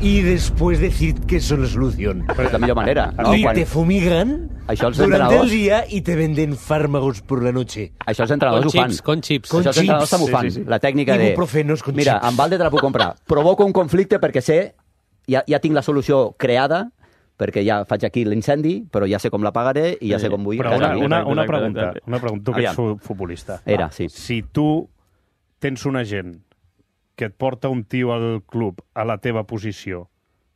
y después decir que eso es la solución. Però és la millor manera. No? Y Quan... te fumigan Això els durante el entrenadors- día y te venden fármacos por la noche. Això els entrenadors Con ho fan. chips, con chips. Con Això els entrenadors chips. també ho fan. Sí, sí, sí. La tècnica de... Ibuprofenos con Mira, chips. amb Valde te la puc comprar. Provoco un conflicte perquè sé... Ja, ja tinc la solució creada, perquè ja faig aquí l'incendi, però ja sé com la pagaré i ja sé com vull... Però que una, acabi. una, una Exacte, pregunta, exacte. una pregunta. Tu que ets fu- futbolista. Era, sí. Si tu tens un agent que et porta un tio al club a la teva posició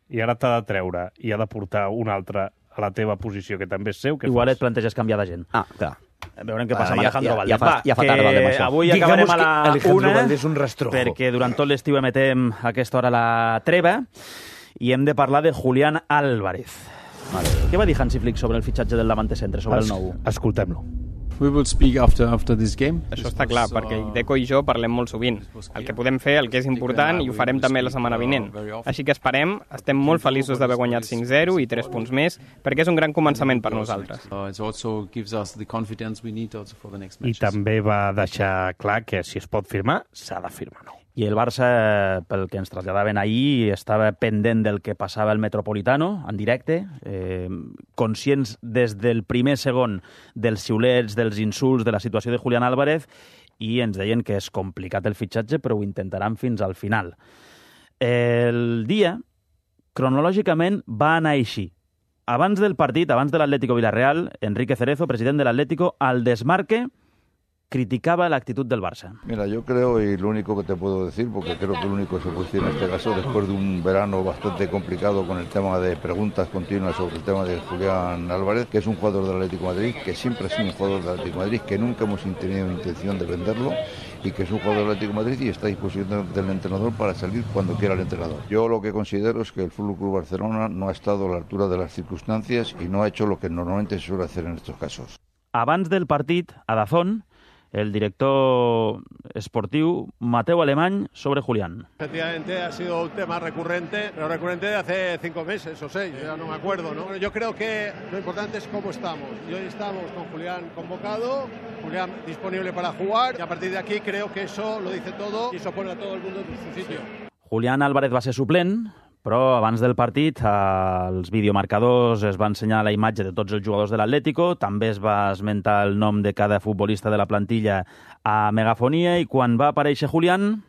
i ara t'ha de treure i ha de portar un altre a la teva posició, que també és seu, què Igual fas? et planteges canviar d'agent. Ah, clar. Veurem què passa Ah, amb ja- Alejandro ja- Valde. ja fa- Va, ja fa que tard, Valde, amb això. avui Digamos acabarem a que la Alejandro una, Valde és un rastrojo. perquè durant tot l'estiu emetem a aquesta hora la treva i hem de parlar de Julián Álvarez. Vale. Què va dir Hansi Flick sobre el fitxatge del Davante Centre, sobre el Es- nou? Escoltem-lo. We will speak after after this game. Això està clar, perquè Deco i jo parlem molt sovint. El que podem fer, el que és important, i ho farem també la setmana vinent. Així que esperem, estem molt feliços d'haver guanyat cinc zero i tres punts més, perquè és un gran començament per nosaltres. Uh, it also gives us the confidence we need also for the next I matches. també va deixar clar que si es pot firmar, s'ha de firmar nou. I el Barça, pel que ens traslladaven ahir, estava pendent del que passava al Metropolitano, en directe, eh, conscients des del primer segon dels xiulets, dels insults, de la situació de Julián Álvarez, i ens deien que és complicat el fitxatge, però ho intentaran fins al final. El dia, cronològicament, va anar així. Abans del partit, abans de l'Atlético Villarreal, Enrique Cerezo, president de l'Atlético, al desmarque, criticaba la actitud del Barça. Mira, yo creo, y lo único que te puedo decir, porque creo que lo único que se puede decir en este caso, después de un verano bastante complicado con el tema de preguntas continuas sobre el tema de Julián Álvarez, que es un jugador del Atlético de Madrid, que siempre ha sido un jugador del Atlético de Madrid, que nunca hemos tenido intención de venderlo, y que es un jugador del Atlético de Madrid y está a disposición del entrenador para salir cuando quiera el entrenador. Yo lo que considero es que el F C Barcelona no ha estado a la altura de las circunstancias y no ha hecho lo que normalmente se suele hacer en estos casos. Abans del partit, a Dazón, el director esportiu Mateu Alemany sobre Julián. Efectivamente ha sido un tema recurrente, pero recurrente de hace cinco meses o seis, ya no me acuerdo, ¿no? Yo creo que lo importante es cómo estamos. Y hoy estamos con Julián convocado, Julián disponible para jugar, y a partir de aquí creo que eso lo dice todo y eso pone a todo el mundo en su sitio. Julián Álvarez va ser suplent, però abans del partit als videomarcadors es va ensenyar la imatge de tots els jugadors de l'Atlético, també es va esmentar el nom de cada futbolista de la plantilla a megafonia, i quan va aparèixer Julián...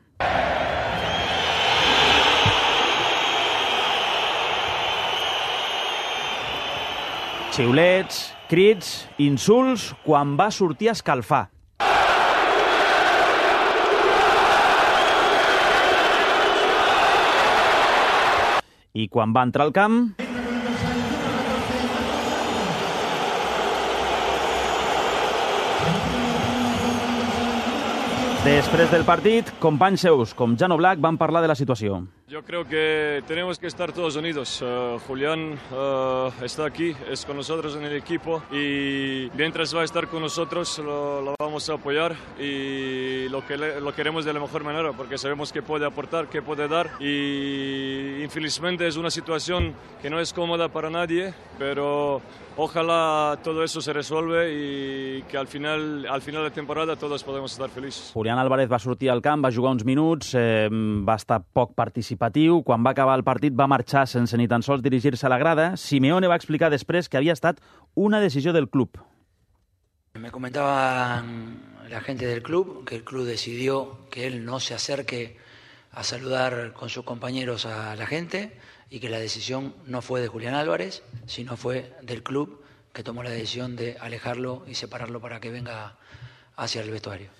xiulets, crits, insults, quan va sortir a escalfar. I quan va entrar al camp... Després del partit, companys seus com Jan Oblak van parlar de la situació. Yo creo que tenemos que estar todos unidos. Uh, Julián uh, está aquí, es con nosotros en el equipo y mientras va a estar con nosotros lo, lo vamos a apoyar y lo, que le, lo queremos de la mejor manera porque sabemos que puede aportar, que puede dar y infelizmente es una situación que no es cómoda para nadie, pero ojalá todo eso se resuelve y que al final, al final de temporada todos podemos estar felices. Julián Álvarez va sortir al camp, va jugar uns minuts, eh, va estar poc participatiu. Quan va acabar el partit va marxar sense ni tan sols dirigir-se a la grada. Simeone va explicar després que havia estat una decisió del club. Me comentaban la gente del club que el club decidió que él no se acerque a saludar con sus compañeros a la gente y que la decisión no fue de Julián Álvarez, sino fue del club que tomó la decisión de alejarlo y separarlo para que venga hacia el vestuario.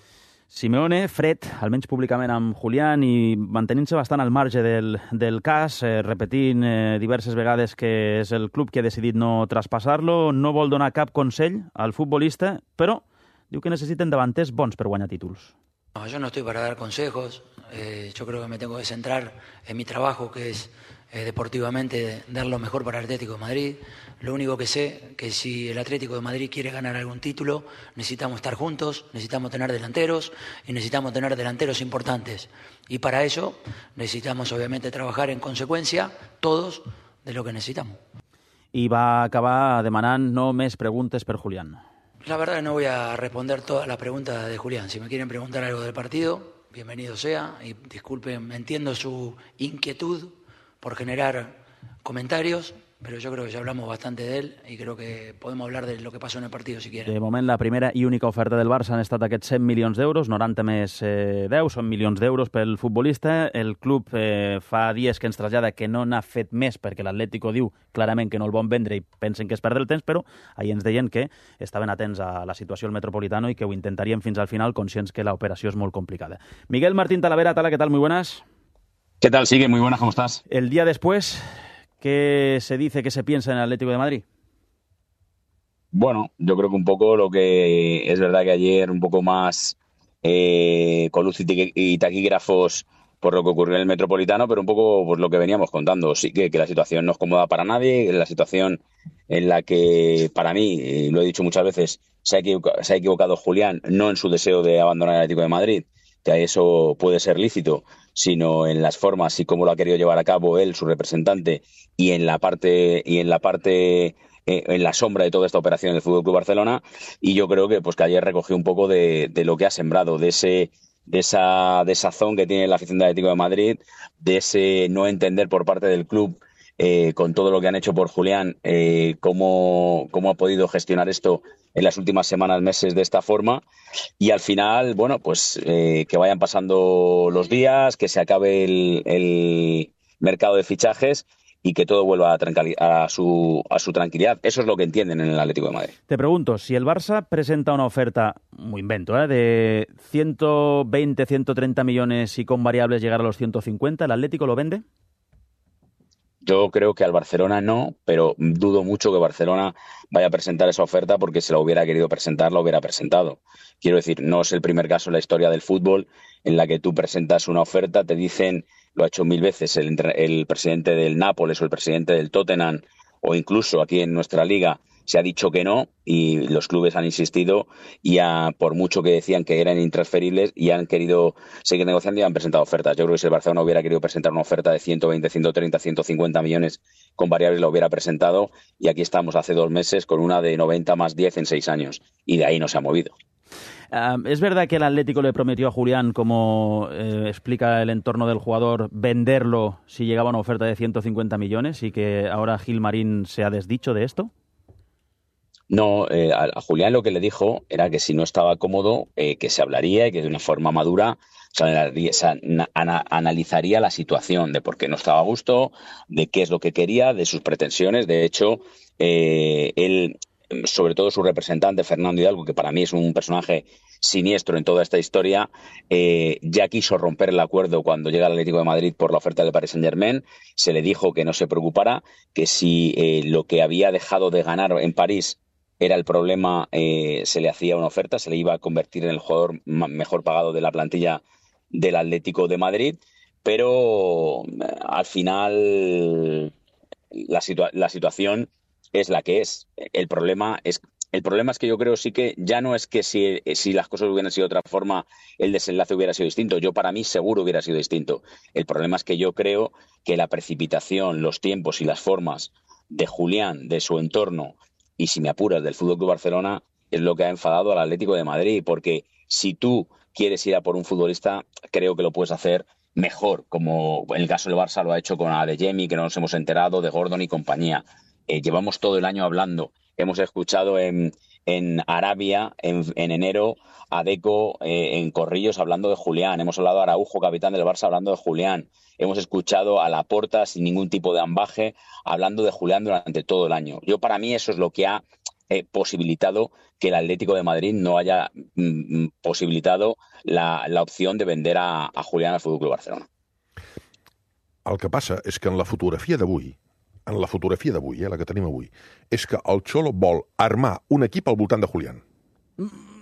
Simeone, fred, almenys públicament amb Julián i mantenint-se bastant al marge del, del cas, eh, repetint eh, diverses vegades que és el club que ha decidit no traspassar-lo, no vol donar cap consell al futbolista, però diu que necessiten davanters bons per guanyar títols. No, yo no estoy para dar consejos, eh, yo creo que me tengo que centrar en mi trabajo, que es eh, deportivamente dar lo mejor para el Atlético de Madrid. Lo único que sé que si el Atlético de Madrid quiere ganar algún título, necesitamos estar juntos, necesitamos tener delanteros y necesitamos tener delanteros importantes. Y para eso necesitamos obviamente trabajar en consecuencia todos de lo que necesitamos. I va acabar demanant no més preguntes per Julián. La verdad no voy a responder todas las preguntas de Julián. Si me quieren preguntar algo del partido, bienvenido sea. Y disculpen, entiendo su inquietud por generar comentarios, pero yo creo que ya hablamos bastante de él y creo que podemos hablar de lo que pasó en el partido si quieren. De moment, la primera i única oferta del Barça han estat aquests cent milions d'euros, noranta més eh, deu, són milions d'euros pel futbolista. El club eh, fa dies que ens trasllada que no n'ha fet més perquè l'Atlético diu clarament que no el vol vendre i pensen que és perdre el temps, però ahir ens deien que estaven atents a la situació al Metropolitano i que ho intentarien fins al final, conscients que l'operació és molt complicada. Miguel Martín Talavera, Tala, ¿qué tal? Muy buenas. ¿Qué tal? Sigue, muy buenas, ¿cómo estás? El día después, ¿qué se dice, qué se piensa en el Atlético de Madrid? Bueno, yo creo que un poco lo que es verdad que ayer un poco más eh, con luz y, y taquígrafos por lo que ocurrió en el Metropolitano, pero un poco pues, lo que veníamos contando. Sí que, que la situación no es cómoda para nadie, la situación en la que, para mí, y lo he dicho muchas veces, se ha, equivocado, se ha equivocado Julián, no en su deseo de abandonar el Atlético de Madrid, que eso puede ser lícito, sino en las formas y cómo lo ha querido llevar a cabo él, su representante, y en la parte y en la parte eh, en la sombra de toda esta operación del F C Barcelona. Y yo creo que pues que ayer recogió un poco de, de lo que ha sembrado, de ese de esa desazón que tiene la afición del Atlético de Madrid, de ese no entender por parte del club eh, con todo lo que han hecho por Julián, eh, cómo, cómo ha podido gestionar esto en las últimas semanas, meses de esta forma. Y al final, bueno, pues eh, que vayan pasando los días, que se acabe el, el mercado de fichajes y que todo vuelva a, a, su, a su tranquilidad. Eso es lo que entienden en el Atlético de Madrid. Te pregunto, si el Barça presenta una oferta, muy invento, ¿eh? de ciento veinte, ciento treinta millones y con variables llegar a los ciento cincuenta, ¿el Atlético lo vende? Yo creo que al Barcelona no, pero dudo mucho que Barcelona vaya a presentar esa oferta porque si la hubiera querido presentar, la hubiera presentado. Quiero decir, no es el primer caso en la historia del fútbol en la que tú presentas una oferta, te dicen, lo ha hecho mil veces el, el presidente del Nápoles o el presidente del Tottenham o incluso aquí en nuestra liga, se ha dicho que no y los clubes han insistido y a, por mucho que decían que eran intransferibles y han querido seguir negociando y han presentado ofertas. Yo creo que si el Barcelona hubiera querido presentar una oferta de ciento veinte, ciento treinta, ciento cincuenta millones con variables, la hubiera presentado y aquí estamos hace dos meses con una de noventa más diez en seis años y de ahí no se ha movido. Uh, ¿Es verdad que el Atlético le prometió a Julián, como eh, explica el entorno del jugador, venderlo si llegaba una oferta de ciento cincuenta millones y que ahora Gilmarín se ha desdicho de esto? No, eh, a, a Julián lo que le dijo era que si no estaba cómodo, eh, que se hablaría y que de una forma madura se, analizaría, se ana, analizaría la situación de por qué no estaba a gusto, de qué es lo que quería, de sus pretensiones. De hecho, eh, él, sobre todo su representante, Fernando Hidalgo, que para mí es un personaje siniestro en toda esta historia, eh, ya quiso romper el acuerdo cuando llega al Atlético de Madrid por la oferta del Paris Saint-Germain. Se le dijo que no se preocupara, que si eh, lo que había dejado de ganar en París era el problema, eh, se le hacía una oferta, se le iba a convertir en el jugador mejor pagado de la plantilla del Atlético de Madrid, pero eh, al final la, situa- la situación es la que es. El problema es, el problema es que yo creo sí que ya no es que si, si las cosas hubieran sido de otra forma, el desenlace hubiera sido distinto. Yo para mí seguro hubiera sido distinto. El problema es que yo creo que la precipitación, los tiempos y las formas de Julián, de su entorno, y si me apuras del F C Barcelona, es lo que ha enfadado al Atlético de Madrid, porque si tú quieres ir a por un futbolista, creo que lo puedes hacer mejor, como en el caso del Barça lo ha hecho con Adeyemi, que no nos hemos enterado, de Gordon y compañía. Eh, llevamos todo el año hablando, hemos escuchado en, en Arabia, en, en enero, a Deco eh, en Corrillos hablando de Julián, hemos hablado a Araujo, capitán del Barça, hablando de Julián. Hemos escuchado a Laporta sin ningún tipo de ambaje hablando de Julián durante todo el año. Yo para mí eso es lo que ha eh, posibilitado que el Atlético de Madrid no haya mm, posibilitado la, la opción de vender a, a Julián al F C Barcelona. El que passa és que en la fotografia d'avui, en la fotografia d'avui, eh, la que tenim avui, és que el Xolo vol armar un equip al voltant de Julián.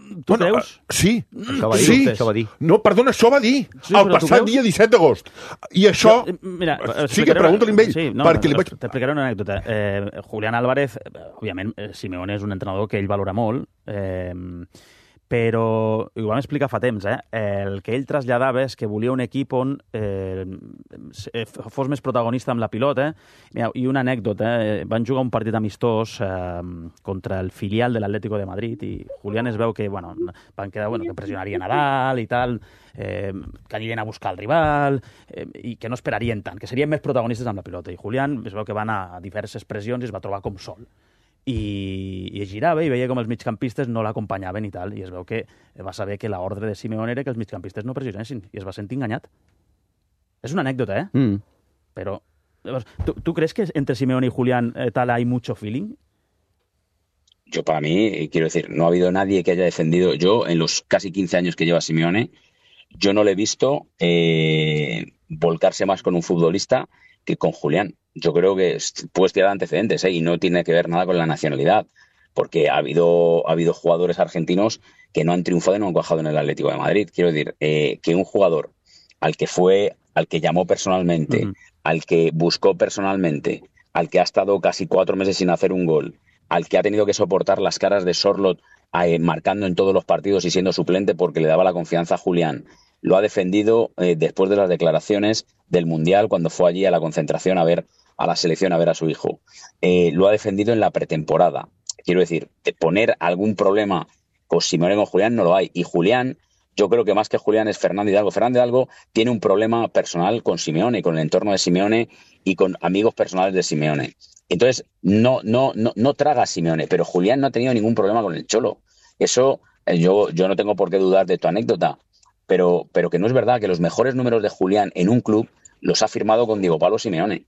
Tu bueno, creus? Uh, sí. Això va dir, sí. això va dir. No, perdona, això va dir sí, el passat dia disset d'agost. I això... Jo, mira, sí que pregunta-li amb ell. Sí, no, perquè li vaig... T'explicaré una anècdota. Eh, Julián Álvarez, òbviament, Simeone és un entrenador que ell valora molt, eh, però, i ho vam explicar fa temps, eh, el que ell traslladava és que volia un equip on eh, fos més protagonista amb la pilota. Mira, i una anècdota, eh, van jugar un partit amistós eh, contra el filial de l'Atlético de Madrid i Julián es veu que, bueno, van quedar, bueno, que pressionarien a dalt i tal, eh, que anirien a buscar el rival eh, i que no esperarien tant, que serien més protagonistes amb la pilota. I Julián es veu que va anar a diverses pressions i es va trobar com sol. I, i es girava i veia com els migcampistes no l'acompanyaven i tal, i es veu que va saber que l'ordre de Simeone era que els migcampistes no pressionessin, i es va sentir enganyat. És una anècdota, eh? Mm. Però, ¿tú, ¿tú crees que entre Simeone y Julián eh, tal hay mucho feeling? Yo para mí, quiero decir, no ha habido nadie que haya defendido, yo en los casi quince años que lleva Simeone, yo no le he visto eh, volcarse más con un futbolista que con Julián. Yo creo que puedes tirar antecedentes ¿eh? y no tiene que ver nada con la nacionalidad, porque ha habido, ha habido jugadores argentinos que no han triunfado y no han cuajado en el Atlético de Madrid. Quiero decir, eh, que un jugador al que fue, al que llamó personalmente, uh-huh. al que buscó personalmente, al que ha estado casi cuatro meses sin hacer un gol, al que ha tenido que soportar las caras de Sorloth eh, marcando en todos los partidos y siendo suplente porque le daba la confianza a Julián, lo ha defendido eh, después de las declaraciones del Mundial, cuando fue allí a la concentración a ver a la selección, a ver a su hijo. Eh, lo ha defendido en la pretemporada. Quiero decir, de poner algún problema con Simeone con Julián no lo hay. Y Julián, yo creo que más que Julián es Fernando Hidalgo. Fernando Hidalgo tiene un problema personal con Simeone, con el entorno de Simeone y con amigos personales de Simeone. Entonces, no, no, no, no traga a Simeone, pero Julián no ha tenido ningún problema con el Cholo. Eso, eh, yo, yo no tengo por qué dudar de tu anécdota, pero, pero que no es verdad que los mejores números de Julián en un club los ha firmado con Diego Pablo Simeone.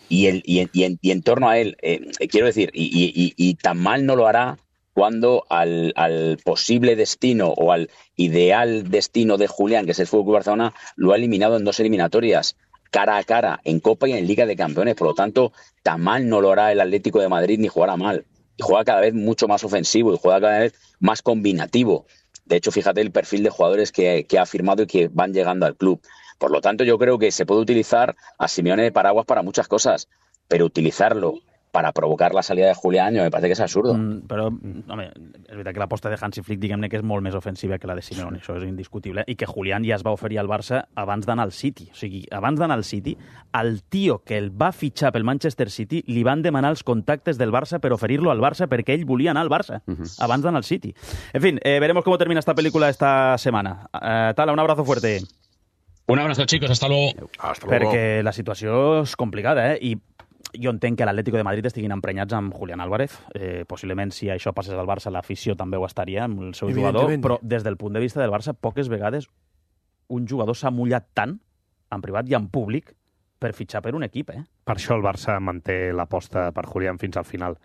Y, el, y, en, y, en, y en torno a él, eh, quiero decir, y, y, y tan mal no lo hará cuando al, al posible destino o al ideal destino de Julián, que es el F C Barcelona, lo ha eliminado en dos eliminatorias, cara a cara, en Copa y en Liga de Campeones. Por lo tanto, tan mal no lo hará el Atlético de Madrid ni jugará mal. Y juega cada vez mucho más ofensivo y juega cada vez más combinativo. De hecho, fíjate el perfil de jugadores que, que ha firmado y que van llegando al club. Por lo tanto, yo creo que se puede utilizar a Simeone de paraguas para muchas cosas, pero utilizarlo para provocar la salida de Julián me parece que és absurdo. Mm, però, home, és veritat que l'aposta de Hansi Flick, diguem-ne que és molt més ofensiva que la de Simeone, això és indiscutible, i que Julián ja es va oferir al Barça abans d'anar al City. O sigui, abans d'anar al City, al tio que el va fitxar pel Manchester City li van demanar els contactes del Barça per oferir-lo al Barça perquè ell volia anar al Barça, uh-huh. abans d'anar al City. En fin, eh, veremos cómo termina esta película esta semana. Eh, Tala, un abrazo fuerte. Un abrazo, chicos. Hasta luego. Hasta luego. Perquè la situació és complicada, eh? I jo entenc que l'Atlético de Madrid estiguin emprenyats amb Julián Álvarez. Eh, possiblement, si això passés al Barça, l'afició també ho estaria amb el seu jugador, però des del punt de vista del Barça, poques vegades un jugador s'ha mullat tant, en privat i en públic, per fitxar per un equip, eh? Per això el Barça manté l'aposta per Julián fins al final.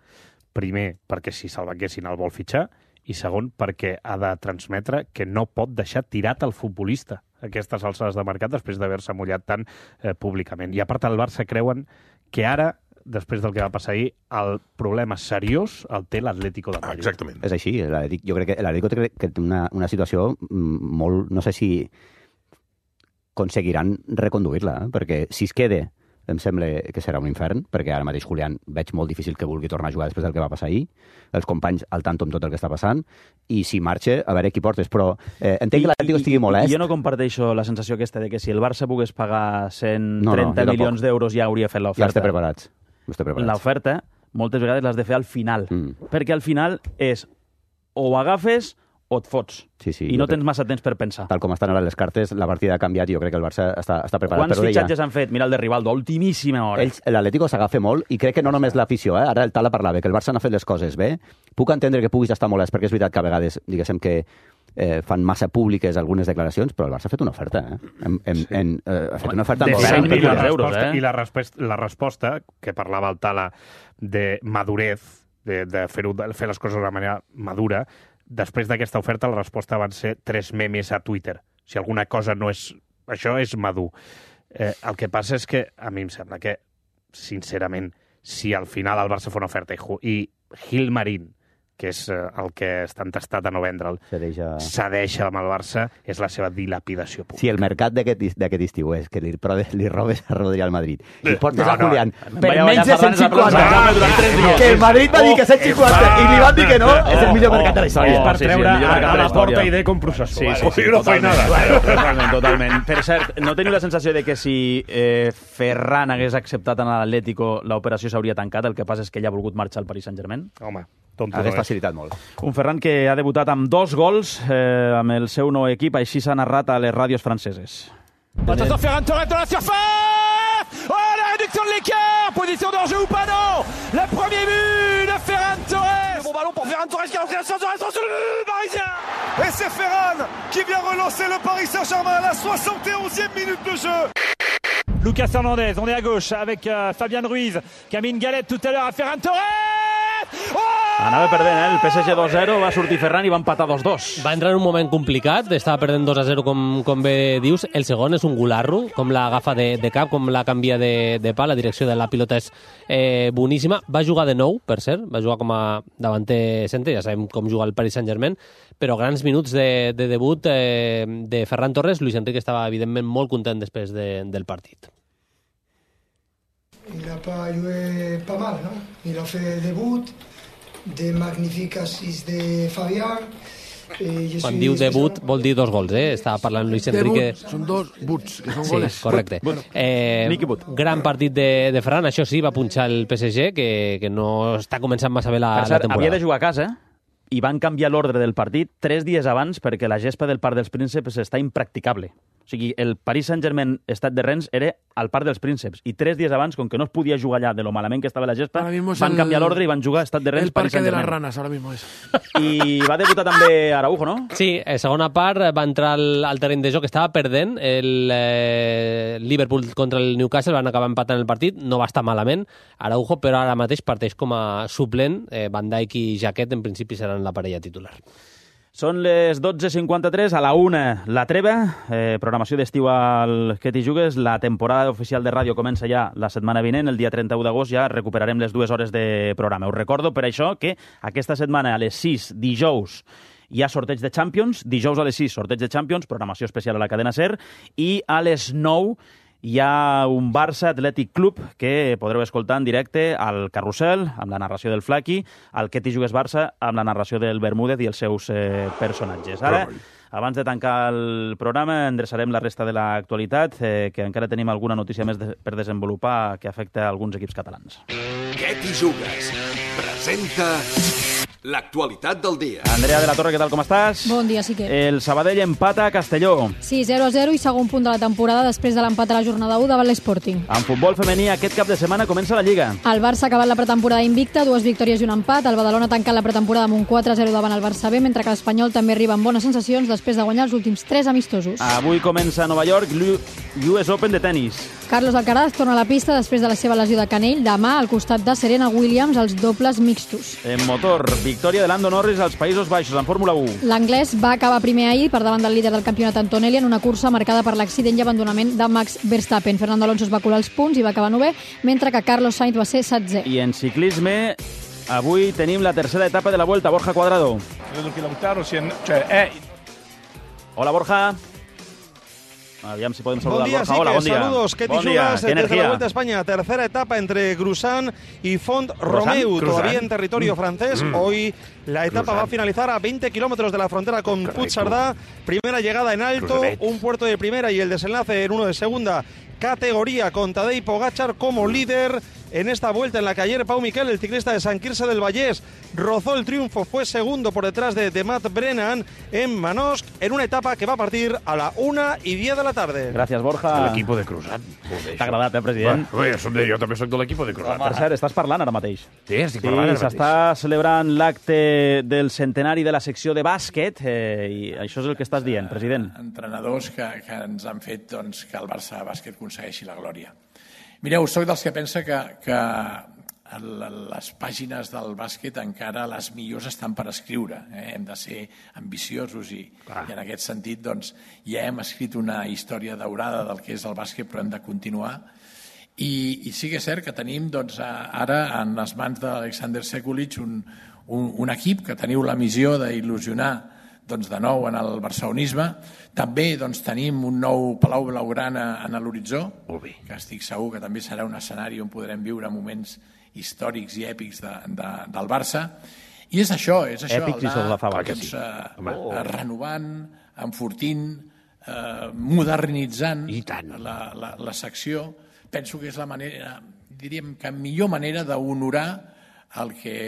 Primer, perquè si se'l venguessin el vol fitxar, i segon, perquè ha de transmetre que no pot deixar tirat el futbolista a aquestes alçades de mercat després d'haver-se mullat tant eh, públicament. I a part, el Barça creuen que ara, després del que va passar ahir, el problema seriós el té l'Atlético de Madrid. Exactament. És així. Jo crec que l'Atlético té que té una, una situació molt... No sé si aconseguiran reconduir-la, eh? Perquè si es queda, em sembla que serà un infern, perquè ara mateix Julián veig molt difícil que vulgui tornar a jugar després del que va passar ahir, els companys al tanto amb tot el que està passant, i si marxa, a veure qui portes, però eh, entenc que l'Atlético estigui molest. I jo no comparteixo la sensació aquesta de que si el Barça pogués pagar cent trenta no, no, milions d'euros ja hauria fet l'oferta. Ja estem preparats. preparats. L'oferta, moltes vegades l'has de fer al final, mm. perquè al final és o ho agafes o et fots. Sí, sí, I no tens massa temps per pensar. Tal com estan ara les cartes, la partida ha canviat i jo crec que el Barça està, està preparat. Quants però fitxatges deia, han fet? Mira el de Rivaldo, ultimíssima hora. Ells, l'Atlético s'agafa molt, i crec que no només l'afició, eh? Ara el Tala parlava, que el Barça n'ha fet les coses bé. Puc entendre que puguis estar molest, perquè és veritat que a vegades, diguéssim que eh, fan massa públiques algunes declaracions, però el Barça ha fet una oferta, eh? En, en, sí. en, eh ha fet una oferta de molt cent gran. milions d'euros, eh? I la resposta, la resposta, que parlava el Tala de madurez, de, de fer, de fer les coses d'una manera madura, després d'aquesta oferta, la resposta van ser tres memes a Twitter. Si alguna cosa no és... Això és madur. Eh, el que passa és que, a mi em sembla que, sincerament, si al final el Barça fa una oferta i, i Gil Marín, que és el que està entestat a no vendre'l, cedeix amb el Barça, és la seva dilapidació pública. Si el mercat d'aquest estiu és que li, li robes a Rodri al Madrid i portes no, a Julián no. per menys de cent cinquanta, que el Madrid va dir que cent cinquanta i li van dir que no, és el millor mercat de la història. És per treure a la porta i de com processó. Sí, sí, sí, totalment, totalment. Per cert, no teniu la sensació de que si Ferran hagués acceptat en l'Atlético l'operació s'hauria tancat, el que passa és que ell ha volgut marxar al Paris Saint-Germain? Home, hagués facilitat molt. Un Ferran que ha debutat amb dos gols eh, amb el seu nou equip, així s'ha narrat a les ràdios franceses. Attention, Ferran Torres dans la surface. Oh, la réduction de l'écart. Position d'enjeu ou pas, non. Le premier but de Ferran Torres. Le bon ballon pour Ferran Torres qui a lancé la chance de restauration sur le but parisien. Et c'est Ferran qui vient relancer le Paris Saint-Germain à la soixante et onzième minute de jeu. Lucas Hernandez, on est à gauche avec euh, Fabián Ruiz qui a mis une galette tout à l'heure à Ferran Torres. Oh! Anava perdent, eh? El P S G dos a zero, va sortir Ferran i va empatar dos dos. Va entrar en un moment complicat, estava perdent dos a zero, com, com bé dius. El segon és un gularro, com l'agafa de, de cap, com la canvia de, de pa. La direcció de la pilota és eh, boníssima. Va jugar de nou, per cert, va jugar com a davanter centre, ja sabem com juga el Paris Saint-Germain, però grans minuts de, de debut eh, de Ferran Torres. Luis Enrique estava, evidentment, molt content després de, del partit. Il n'a pas joué pas mal, non? Il a fait des buts, des magnifiques assists de Fabián. Quan diu debut vol dir dos gols, eh? Estava parlant Luis Enrique. Debut, són dos buts, que són sí, goles. Correcte. Bueno. Eh, gran partit de, de Ferran, això sí, va punxar el P S G, que, que no està començant massa bé la, per cert, la temporada. Havia de jugar a casa i van canviar l'ordre del partit tres dies abans perquè la gespa del Parc dels Prínceps està impracticable. O sigui, el Paris Saint-Germain Stade de Rennes era al Parc dels Prínceps i tres dies abans, com que no es podia jugar allà de lo malament que estava la gespa, van el, canviar l'ordre i van jugar a Stade de Rennes, el Parque Paris de las Saint-Germain. Ranas, ahora mismo es. I va debutar també Araujo, no? Sí, a segona part va entrar al, al terreny de joc, estava perdent el eh, Liverpool contra el Newcastle, van acabar empatant el partit, no va estar malament Araujo, però ara mateix parteix com a suplent. eh, Van Dijk i Jaquet en principi seran la parella titular. Són les dotze cinquanta-tres, a la una la treva, eh, programació d'estiu al Que t'hi jugues. La temporada oficial de ràdio comença ja la setmana vinent, el dia trenta-u d'agost ja recuperarem les dues hores de programa. Us recordo per això que aquesta setmana a les sis, dijous, hi ha sorteig de Champions, dijous a les sis, sorteig de Champions, programació especial a la cadena SER, i a les nou hi ha un Barça Atlètic Club que podreu escoltar en directe al Carrusel, amb la narració del Flaqui, al Que t'hi jugues Barça, amb la narració del Bermúdez i els seus eh, personatges. Ara, abans de tancar el programa, endreçarem la resta de l'actualitat, eh, que encara tenim alguna notícia més de, per desenvolupar que afecta alguns equips catalans. Que t'hi jugues? Presenta l'actualitat del dia. Andrea de la Torre, què tal, com estàs? Bon dia, sí que. El Sabadell empata a Castelló. Sí, zero a zero i segon punt de la temporada després de l'empat a la jornada u davant l'Sporting. En futbol femení, aquest cap de setmana comença la Lliga. El Barça ha acabat la pretemporada invicta, dues victòries i un empat. El Badalona ha tancat la pretemporada amb un quatre a zero davant el Barça B, mentre que l'Espanyol també arriba amb bones sensacions després de guanyar els últims tres amistosos. Avui comença a Nova York l'U S Open de tennis. Carlos Alcaraz torna a la pista després de la seva lesió de canell demà al costat de Serena Williams als dobles mixtos. En motor, victòria de Lando Norris als Països Baixos en Fórmula u. L'anglès va acabar primer ahir per davant del líder del campionat Antonelli en una cursa marcada per l'accident i abandonament de Max Verstappen. Fernando Alonso es va colar els punts i va acabar novè, mentre que Carlos Sainz va ser setzè. I en ciclisme, avui tenim la tercera etapa de la Vuelta. Borja Cuadrado. Credo che Lautaro sia... Cioè, è... Hola, Borja. Aviam si podem saludar bon dia, Borja. Hola, bon dia. Saludos, Ketty bon día. Jugas, desde la Vuelta a España. Tercera etapa entre Grusan y Font Romeu, todavía en territorio francés. Mm. Hoy la etapa Grusan va a finalizar a veinte kilómetros de la frontera con Puigcerdá. Primera llegada en alto, Grusanet. Un puerto de primera y el desenlace en uno de segunda categoría con Tadej Pogačar como líder en esta vuelta en la que ayer Pau Miquel, el ciclista de Sant Quirze del Vallès, rozó el triunfo, fue segundo por detrás de, de Matt Brennan en Manosc, en una etapa que va a partir a la una y diez de la tarde. Gràcies, Borja. L'equip de Cruzat. T'ha agradat, eh, president? Bé, bé, jo també soc de l'equip de Cruzat. Per cert, estàs parlant ara mateix. Sí, estic parlant ara sí, s'està celebrant l'acte del centenari de la secció de bàsquet eh, i això és el que estàs dient, president. Entrenadors que, que ens han fet doncs, que el Barça Bàsquet aconsegueixi la glòria. Mireu, soc dels que pensa que, que les pàgines del bàsquet encara les millors estan per escriure. Eh? Hem de ser ambiciosos i, i en aquest sentit doncs, ja hem escrit una història daurada del que és el bàsquet, però hem de continuar. I, i sí que és cert que tenim doncs, ara en les mans d'Alexander Sekulic un, un, un equip que teniu la missió d'il·lusionar doncs, de nou en el barcelonisme. També doncs, tenim un nou Palau Blaugrana en l'horitzó, que estic segur que també serà un escenari on podrem viure moments històrics i èpics de, de, del Barça. I és això, és això, èpics i sobre la fava, doncs, sí. eh, oh. renovant, enfortint, eh, modernitzant la, la, la secció. Penso que és la manera, diríem que millor manera d'honorar el que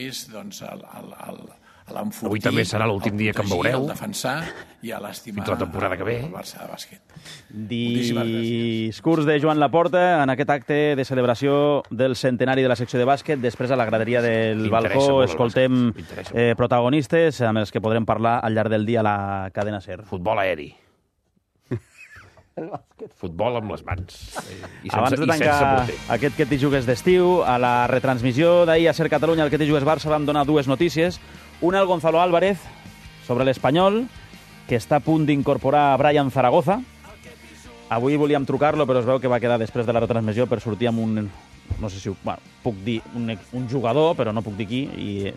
és doncs, el, el, el, l'enfortir, avui també serà l'últim dia que em veureu. El defensar i a l'estimar fins la temporada que ve. El Barça de bàsquet. Discurs de Joan Laporta en aquest acte de celebració del centenari de la secció de bàsquet. Després, a la graderia del balcó, escoltem eh, protagonistes amb els que podrem parlar al llarg del dia a la cadena SER. Futbol aeri. Futbol amb les mans. I sense, abans de tancar aquest Que t'hi jugues d'estiu, a la retransmissió d'ahir a SER Catalunya, el Que t'hi jugues Barça, vam donar dues notícies. Una al Gonzalo Álvarez sobre l'Espanyol, que està a punt d'incorporar a Brian Zaragoza. Avui volíem trucar-lo, però es veu que va quedar després de la retransmissió per sortir amb un... No sé si... Bueno, puc dir un, un jugador, però no puc dir qui, i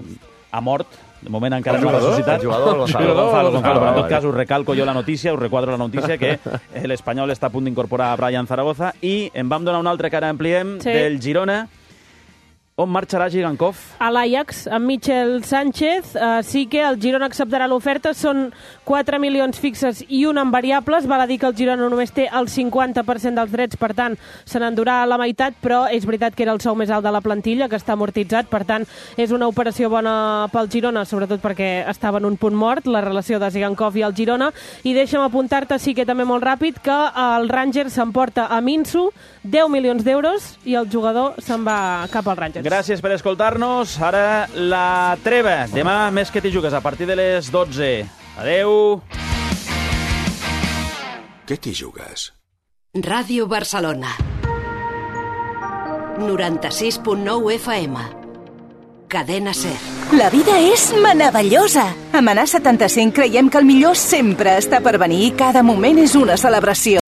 ha mort. De moment encara no ha ressuscitat. El jugador, Gonzalo. Gonzalo, Gonzalo. Però en tot cas us recalco jo la notícia, us requadro la notícia que l'Espanyol està a punt d'incorporar a Brian Zaragoza i en vam donar un altre que ara ampliem, sí. del Girona. On marxarà Gigankov? A l'Ajax, amb Michel Sánchez. Uh, sí que el Girona acceptarà l'oferta. Són quatre milions fixes i un en variables. Val a dir que el Girona només té el cinquanta per cent dels drets, per tant, se n'endurà la meitat, però és veritat que era el sou més alt de la plantilla, que està amortitzat. Per tant, és una operació bona pel Girona, sobretot perquè estava en un punt mort, la relació de Gigankov i el Girona. I deixa'm apuntar-te, sí que també molt ràpid, que el Rangers s'emporta a Minsu deu milions d'euros i el jugador se'n va cap al Rangers. Gràcies per escoltar-nos. Ara la treva. Demà més Que t'hi jugues a partir de les dotze. Adeu. Que t'hi jugues? Ràdio Barcelona. noranta-sis punt nou F M. Cadena SER. La vida és meravellosa. A Manà setanta-cinc creiem que el millor sempre està per venir i cada moment és una celebració.